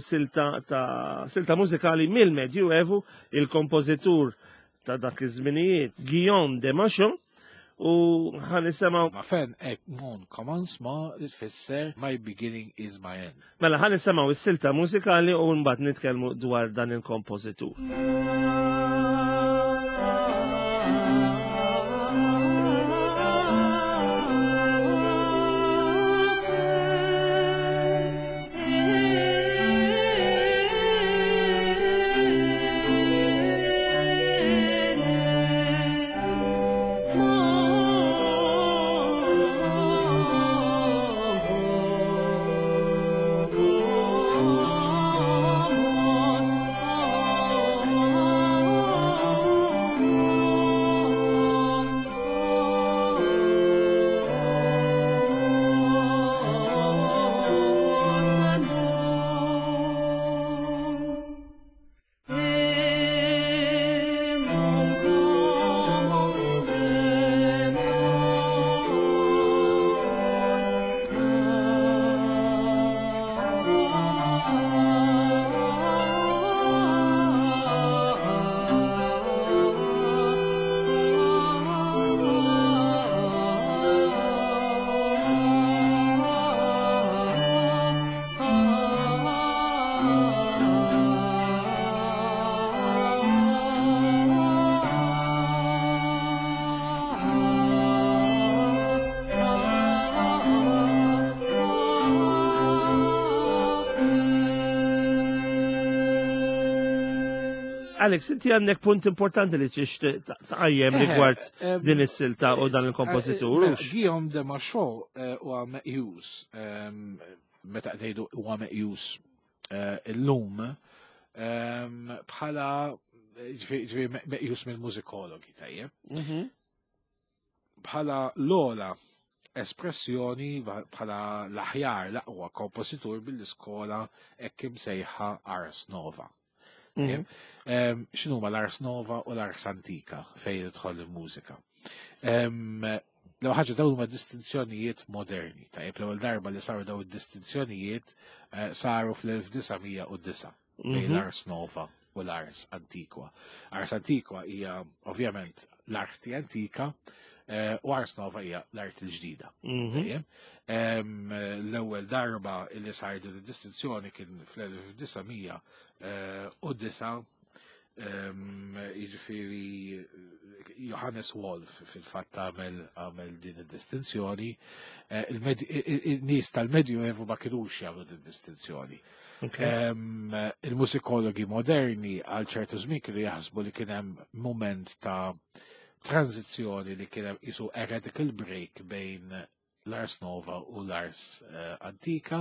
silta mużikali mill-Medjuevu, il-kompożitur ta' dak iż-żminijiet Guillaume de Machaut, u ħa nisimgħu Ma fin est mon commencement li tfisser my beginning is my end. Mela ħa nisimgħu is-silta mużikali u mbagħad nitkellmu dwar dan il-kompożitur. Alex, inti għandek punt importanti li tixtieq tqajjem rigward din is-silta u dan il-kompożitur. Guillaume de Machaut huwa meqjus, meta ngħidu huwa meqjus illum bħala ġifieri meqjus mill-mużikologi tajjeb. Bħala l-ola espressjoni bħala l-aħjar l-aqwa kompożitur bil-iskola hekk imsejħa Ars Nova. X'inhuma l-Ars Nova u l-Ars Antika fejn idħol il-mużika? L-ewwel ħaġa dawn huma distinzjonijiet moderni. Tajjeb l-ewwel darba li saru dawn id-distinzjonijiet saru fl-1909 bejn l-Ars Nova u l-Ars Antiqua. Ars Antiqua hija ovvjament l-arti antika u Ars Nova hija l-arti l-ġdida. Tajjeb. L-ewwel darba li sar din id-distinzjoni kien fl-1909, jiġifieri Johannes Wolf fil-fatt għamel din id-distinzjoni. Il-nies tal-Medjuevu ma kinux jagħmlu din id-distinzjoni. Il-musikologi moderni għal ċertu żmien kienu jaħsbu li kien hemm moment ta' tranzizzjoni li kien hemm isu a radical break bejn l-Ars Nova u l-Ars Antika.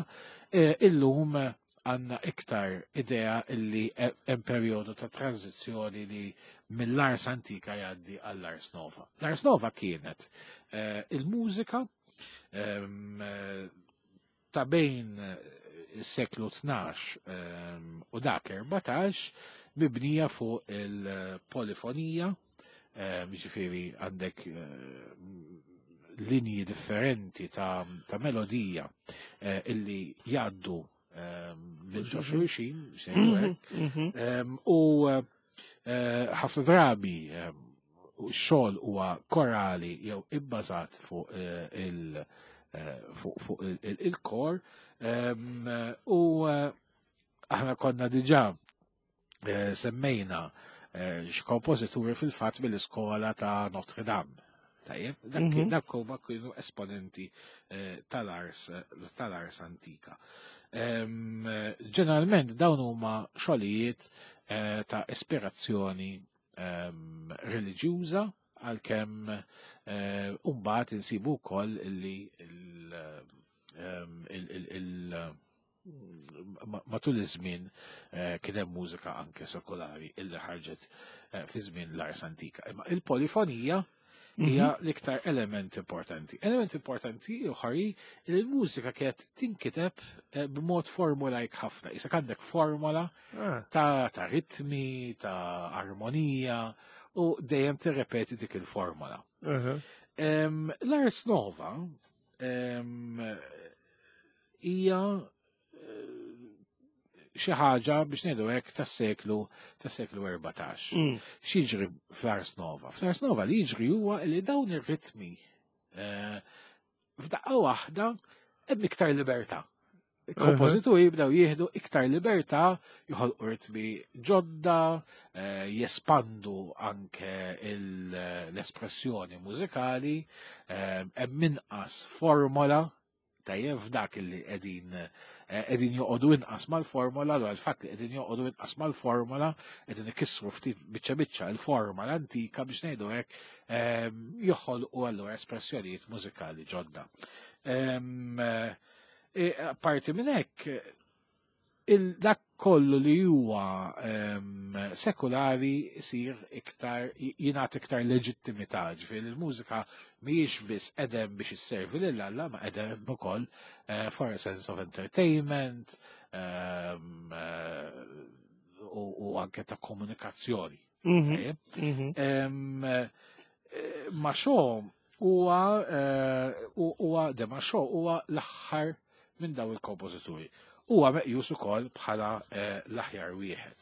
Illum għandna iktar idea illi hemm perjodu ta' tranzizzjoni li mill-Ars Antika jgħaddi għall-Ars Nova. L-Ars Nova kienet il-mużika ta' bejn is-seklu 12 u dak 14 mibnija fuq il-polifonija, jiġifieri għandek linji differenti ta' melodija illi jgħaddu minn ġo xulxin, sejnu hekk. U ħafna drabi x-xogħol huwa korali jew ibbażat fuq il-kor. U aħna konna diġà semmejna x'kompożituri fil-fatt mill-iskola ta' Notre Dame. Tajjeb, dak huma kienu esponenti tal-ars antika. Ġeneralment dawn huma xogħlijiet ta' ispirazzjoni reliġjuża, għalkemm mbagħad insibu wkoll li matul iż-żmien kien hemm mużika anke sekolari illi ħarġet fi żmien l-ars antika. Imma il-polifonija hija l-iktar element importanti. Element importanti ieħor hi li l-mużika kienet tinkiteb b'mod formulajk ħafna. Issa għandek formola ta' ritmi, ta' armonija, u dejjem tirrepeti dik il-formola. L-Ars Nova hija xi ħaġa biex ngħidu hekk tas-seklu 14. X'jiġri fl-Ars Nova? Fl-Ars Nova li jiġri huwa li dawn ir-ritmi f'daqqa waħda hemm iktar libertà. Il-kompożituri jibdew jieħdu iktar libertà, joħolqu ritmi ġodda, jespandu anke l-espressjoni mużikali, hemm inqas formola, tajjeb f'dak li qegħdin joqogħdu inqas mal-formola, allura l-fatt li qegħdin joqogħdu inqas mal-formola, qegħdin ikissru ftit biċċa biċċa l-forma l-antika biex ngħidu hekk, joħolqu allura espressjonijiet mużikali ġodda. Apparti minn hekk, dak kollu li huwa sekulari jsir iktar, jingħata iktar leġittimità, ġifieri il-mużika mhijiex biss edem biex isservi lil Alla, ma edem ukoll for a sense of entertainment u anke ta' komunikazzjoni. Tajjeb? Machaut huwa de Machaut huwa l-aħħar minn daw il-kompożituri. Huwa meqjus ukoll bħala l-aħjar wieħed.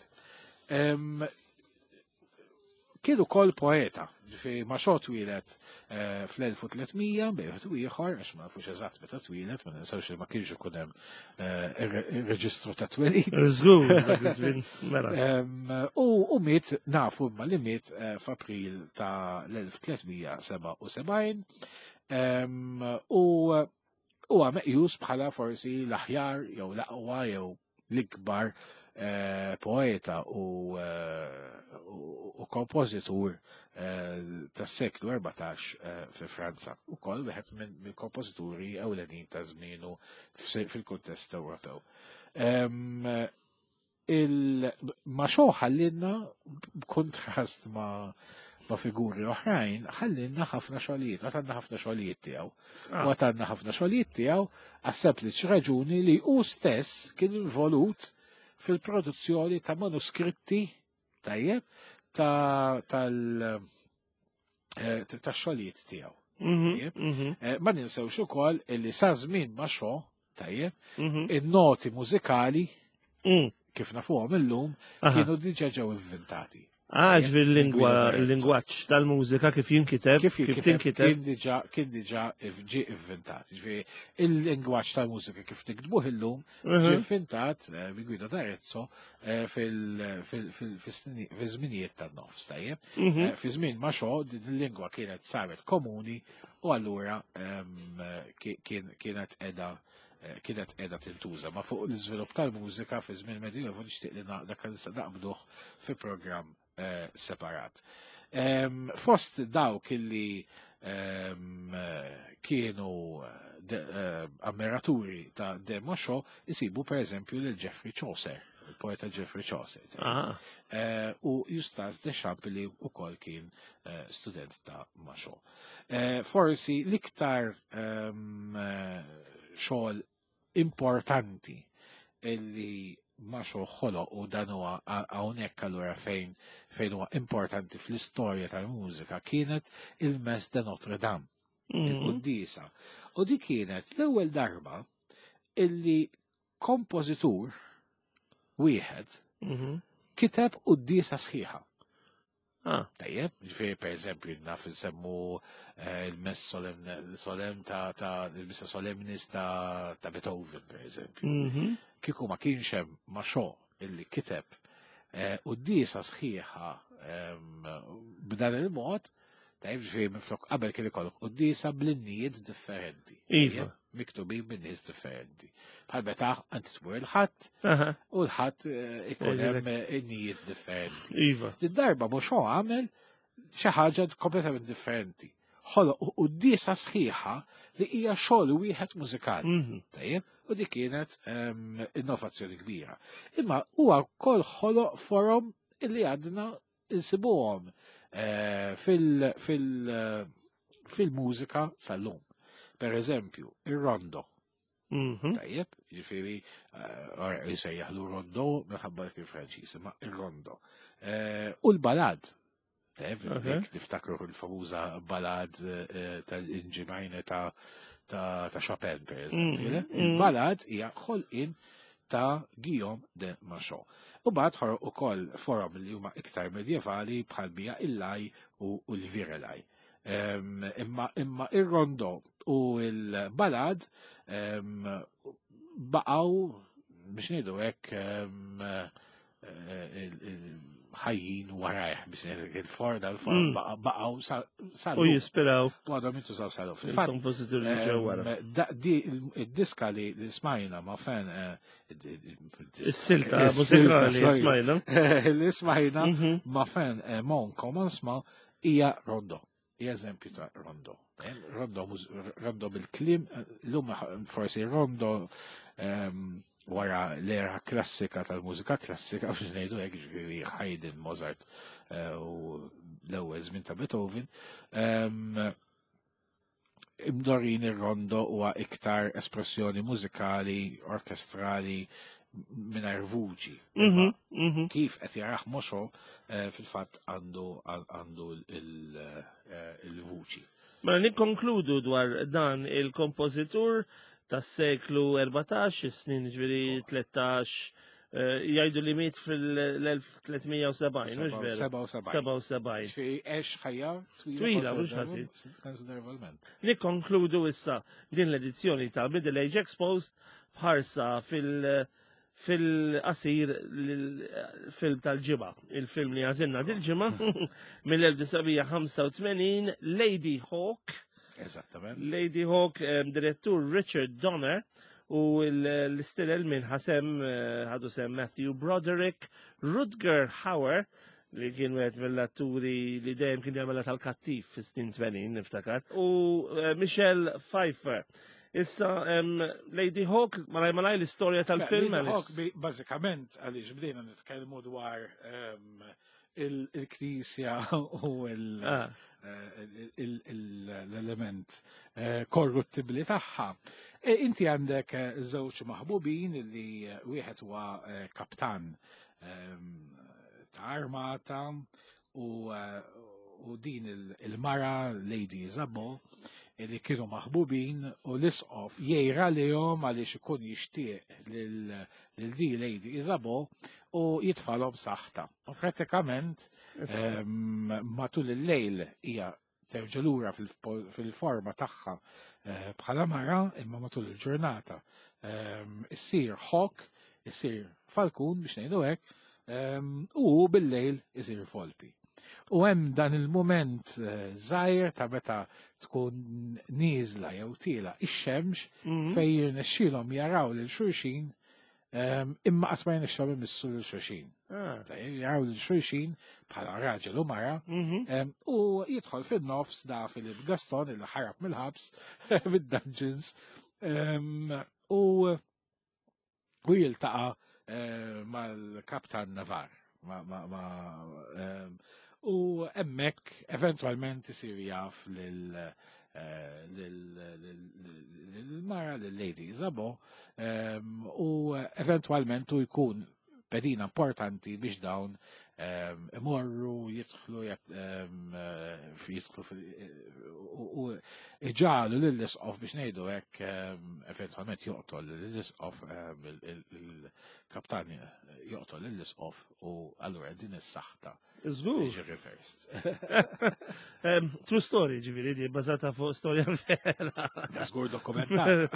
Kien ukoll poeta, ġifieri Machaut twieled fl-1300 bejn wieħed u ieħor, għax ma nafux eżatt meta twieled, ma ninsewx li ma kienx ikun hemm ir-reġistru ta' twelid. Żgur, dak iż-żmien, mela. U miet, nafu imma li miet f'April ta' l-1377, u huwa meqjus bħala forsi l-aħjar jew l-aqwa jew l-ikbar poeta u kompożitur tas-seklu 14 fi Franza. Ukoll wieħed mill-kompożituri ewlenin ta' żmienu fil-kuntest Ewropew. Machaut ħallinna, b'kontrast ma' figuri oħrajn, ħallinna ħafna xogħlijiet, għatanna ħafna xogħlijiet tiegħu. U għatanna ħafna xogħlijiet tiegħu għas-sempliċi raġuni li hu stess kien involut fil-produzzjoni ta' manuskritti tajjeb ta' xogħlijiet tiegħu. Ma ninsewx ukoll illi sa żmien Machaut, tajjeb, in-noti mużikali kif nafuhom illum kienu diġà ġew inventati. Ah, ġifieri l-lingwa, il-lingwaġġ tal-mużika kif jinkiteb, kif jinkiteb, kien diġà ġie inventat. Ġifieri il-lingwaġġ tal-mużika kif niktbuh illum ġie inventat minn Guido d'Arezzo fil-żminijiet tan-nofs, tajjeb. Fi żmien Machaut din il-lingwa kienet saret komuni u allura kienet qiegħda tintuża. Ma fuq l-iżvilupp tal-mużika fi żmien Medjuevu nixtieq li dak naqbduh fi programm separat. Fost dawk illi kienu ammiraturi ta' de Machaut isibu per eżempju lil Geoffrey Chaucer, il-poeta Geoffrey Chaucer. U Eustace Deschamps li wkoll kien student ta' Machaut. Forsi l-iktar xogħol importanti illi Machaut ħoloq, u dan huwa hawnhekk allura fejn huwa importanti fl-istorja tal-mużika, kienet il-Messe de Notre Dame, il-Quddiesa. U di kienet l-ewwel darba illi kompożitur wieħed kiteb quddiesa sħiħa. Tajjeb, ġifieri per eżempju naf nsemmu il-Mess Solemn ta' il-Missa Solemnis ta' Beethoven, per eżempju. Kieku ma kienx hemm Machaut illi kiteb quddiesa sħiħa b'dan il-mod, tajjeb, ġifieri minflok qabel kien ikollok quddiesa bl-innijiet differenti. Tajjeb, miktubin minn nies differenti. Bħal meta inti tmur il-Ħadd u l-Ħadd ikun hemm innijiet differenti. Din darba Machaut għamel xi ħaġa kompletament differenti. Ħoloq quddiesa sħiħa li hija xogħol wieħed mużikali. Tajjeb, u di kienet innovazzjoni kbira. Imma huwa wkoll ħoloq forom illi għadna insibuhom fil-mużika sal-lum. Per eżempju, ir-rondo. Tajjeb, ġifieri, jsejjaħlu rondo minħabba kif Franċiż, imma ir-rondo. U l-balad. Tajjeb, jekk niftakru l-famuża balad tal-Inġimajne ta' Chopin, per eżempju. Il-balad hija ħolqien ta' Guillaume de Machaut. U bad ħoroq ukoll forom li huma iktar medjevali bħal bija il-laj u l-virelaj. Imma ir-rondo u l-balad baqgħu biex ngħidu hekk ħajjin warajh biex ngħidu il-for dal-for baqgħu sa U jispiraw. U għadhom jintużaw sal-lum. Fil-fatt, Il-kompożituri li ġew wara. Di id-diska li smajna ma' fen, Is-silta is-silta, mużikali sorry. smajna. Li smajna ma' fen mon commencement hija rondo. Hija eżempju ta' rondo. Rondo rondo bil-kliem, l-lum forsi rondo wara l-era klassika tal-mużika klassika, biex ngħidu hekk, ġifieri Haydn, Mozart u l-ewwel żmien ta' Beethoven. Imdorin ir-rondo huwa iktar espressjoni mużikali, orkestrali, mingħajr vuċi. Kif qed jaraħ Machaut fil-fatt għandu il-vuċi. Mela nikkonkludu dwar dan il-kompożitur tas-seklu 14, is-snin ġifieri 13, jgħidu li miet fil-1370, mhux veru? 77. 77. Ġifieri għex ħajja twila Twila, mhux ħażin. konsiderevolment. Nikkonkludu issa din l-edizzjoni ta' Middle Age Exposed bħarsa fil-qasir film tal-ġimgħa. Il-film li għażilna dil-ġimgħa mill-1985, Ladyhawke. Eżattament. Ladyhawke, direttur Richard Donner. U l-istilel minn ħasem ħadu sem Matthew Broderick, Rutger Hauer, li kien wieħed mill-atturi li dejjem kien jagħmilha tal-kattiv fis-snin 80 niftakar, u Michelle Pfeiffer. Issa Lady Hawk, malaj malaj l-istorja tal-film. Lady Hawk bażikament għaliex bdejna nitkellmu dwar il-knisja u l-element korruttibli tagħha. E, inti għandek żewġ maħbubin li wieħed huwa kaptan ta' armata u din il-mara Lady Isabeau li kienu maħbubin u l-isqof jgħira lihom għaliex ikun jixtieq lil di Lady Isabeau u jitfalhom saħta. U pratikament matul il-lejl hija terġa' lura fil-forma tagħha bħala mara imma matul il-ġurnata issir hawk, issir falkun biex ngħidu hekk, u bil-lejl isir volpi. U hemm dan il-mument żgħir ta' meta tkun nieżla jew tiela ix-xemx fejn jirnexxielhom jaraw lil xulxin imma qatt ma jirnexxielhom imissu lil xulxin. Jaraw lil xulxin bħala raġel u mara u jidħol fin-nofs da Philip Gaston il ħarab mill-ħabs mid-dungeons u jiltaqa' mal-Kaptan Navarre. U hemmhekk eventwalment isir jaf lil mara lil Lady Isabeau u eventwalment u jkun pedina importanti biex dawn imorru jidħlu jidħlu u iġagħlu lill-isqof biex ngħidu hekk eventwalment joqtol lill-isqof il-kaptan joqtol lill-isqof u allura din is-saħta Żgur. Tiġi reversed. True story, ġifieri, di bbażata fuq storja vera. Żgur dokumentat.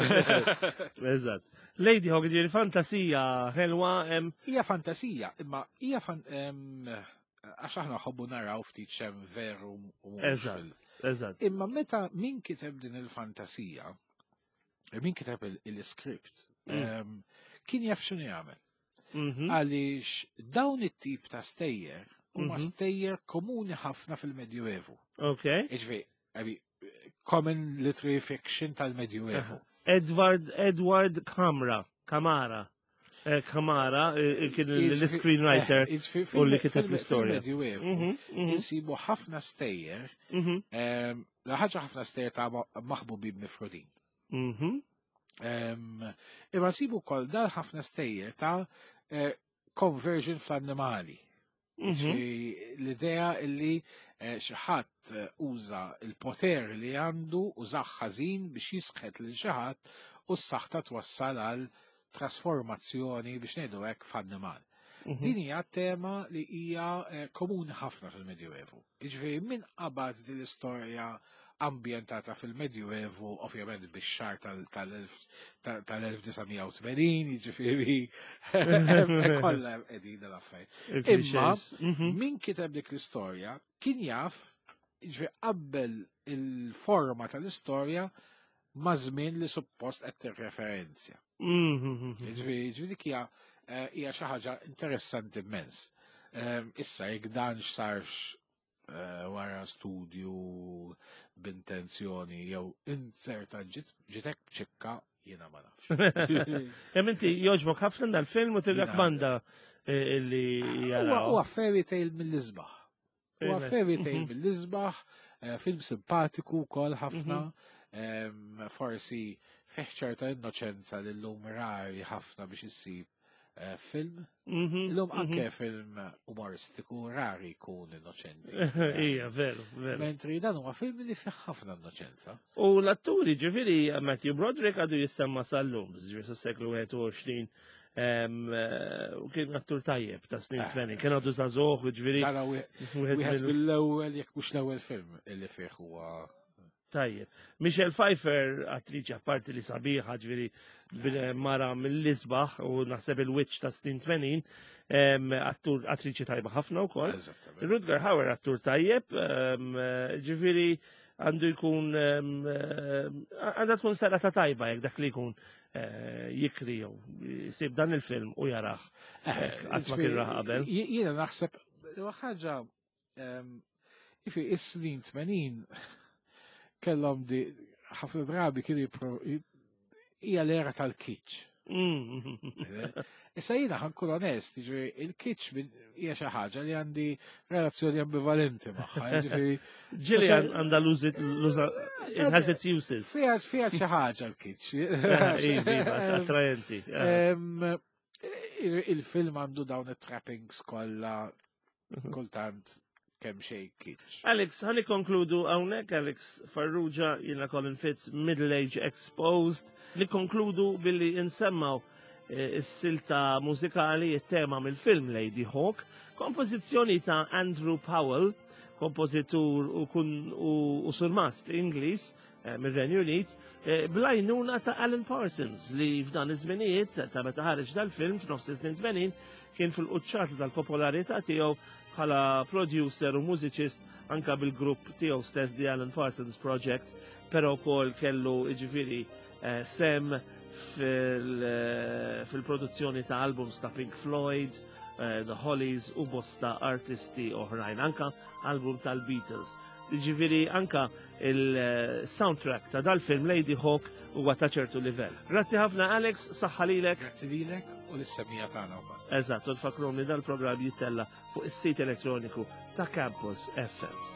Eżatt. Lady Hawk, ġifieri fantasija ħelwa. Hija fantasija, imma hija għax aħna ħobbu naraw ftit xem veru u Eżatt, eżatt. Imma meta min kiteb din il-fantasija, min kiteb il-script, kien jaf x'inhu jagħmel. Għaliex dawn it-tip ta' stejjer huma stejjer komuni ħafna fil-Medjuevu. Ġifieri, common literary fiction tal-Medjuevu. Edward Kamara, Kamara. Kamara kien l-screenwriter u li kiteb l-istorja. Fil-Medjuevu insibu ħafna stejjer, la ħaġa ħafna stejjer ta' maħbubin mifrudin. Imma nsibu wkoll dal ħafna stejjer ta' conversion fl-annimali. L-idea illi xi ħadd uża il-poter li għandu u ħażin biex jisħet lil xi ħadd u s-saħta twassal għal trasformazzjoni biex ngħidu hekk f'annimal. Din hija tema li hija komuni ħafna fil-Medjuevu. Jiġifieri min qabad din l-istorja ambjentata fil-Medjuevu, ovvjament bix-xahar tal-1980, jiġifieri kollha qegħdin l-affarijiet. Imma min kiteb dik l-istorja kien jaf, jiġifieri qabbel il-forma tal-istorja ma' żmien li suppost qed tirreferenzja. Jiġifieri dik hija xi ħaġa interessanti immens. Issa jekk dan x'sarx wara studju b'intenzjoni jew inserta ġitek ċikka jiena ma nafx. Hemm inti jogħġbok ħafna dal-film u tirrakmanda illi jaraw. Huwa fairy tale mill-isbaħ. Huwa fairy tale mill-isbaħ, film simpatiku wkoll ħafna. Forsi fih ċerta innoċenza li llum rari ħafna biex issib film. Illum anke film umoristiku rari jkun innoċenti. Ija, veru, veru. Mentri dan huwa film li fih ħafna innoċenza. U l-atturi, ġifieri Matthew Broderick għadu jissemma sal-lum, ġifieri sas-seklu 21, u kien attur tajjeb ta' snin 80, kien għadu żagħżugħ, ġifieri. Wieħed mill-ewwel, jekk mhux l-ewwel film li fih huwa Tajjeb. Michelle Pfeiffer, attriċi apparti li sabiħa, ġifieri mara mill-isbaħ u naħseb il-witch ta' snin 80, attur attriċi tajba ħafna wkoll. Rutger Hauer attur tajjeb, ġifieri għandu jkun għandha tkun serata tajba jekk dak li jkun eh, jikri jew jsib dan il-film u jarah. Eh, qatt ma kien raħ qabel. Jiena naħseb ħaġa ifi is-snin 80 kellhom di ħafna drabi kienu hija l-era tal-kitsch. Issa jiena ħankun onest, jiġifieri il-kitsch hija xi ħaġa li għandi relazzjoni ambivalenti magħha, jiġifieri. Ġieli għandha l-uża it has its uses. Fiha xi ħaġa l-kitsch. Eh, iva, iva, attraenti. Il-film għandu dawn it-trappings kollha kultant kemm xejn kitsch. Alex, ħalli konkludu hawnhekk Alex Farrugia, jiena Colin Fitz, Middle Age Exposed, li konkludu billi insemmaw eh, is-silta mużikali it-tema mill-film Lady Hawk, kompożizzjoni ta' Andrew Powell, kompożitur u, kun, u, u surmast Ingliż eh, mir-Renju Unit, eh, blajnuna ta' Alan Parsons li f'dan iż-żminijiet ta' meta ħareġ dal-film f'nofs is-snin 80 kien fil-quċċata tal-popolarità tiegħu bħala producer u mużiċist anka bil-grupp tiegħu stess The Alan Parsons Project, però wkoll kellu jiġifieri eh, sem eh, fil-produzzjoni ta' albums ta' Pink Floyd, eh, The Hollies u bosta artisti oħrajn, anka album tal-Beatles. Ġifieri anka il-soundtrack ta' dal-film Lady Hawk huwa ta' ċertu livell. Grazzi ħafna Alex, saħħa lilek. Grazzi lilek u lis-semija tagħna wkoll. Eżatt, u nfakruhom li dal-programm jittella fuq is-sit elettroniku ta' Campus FM.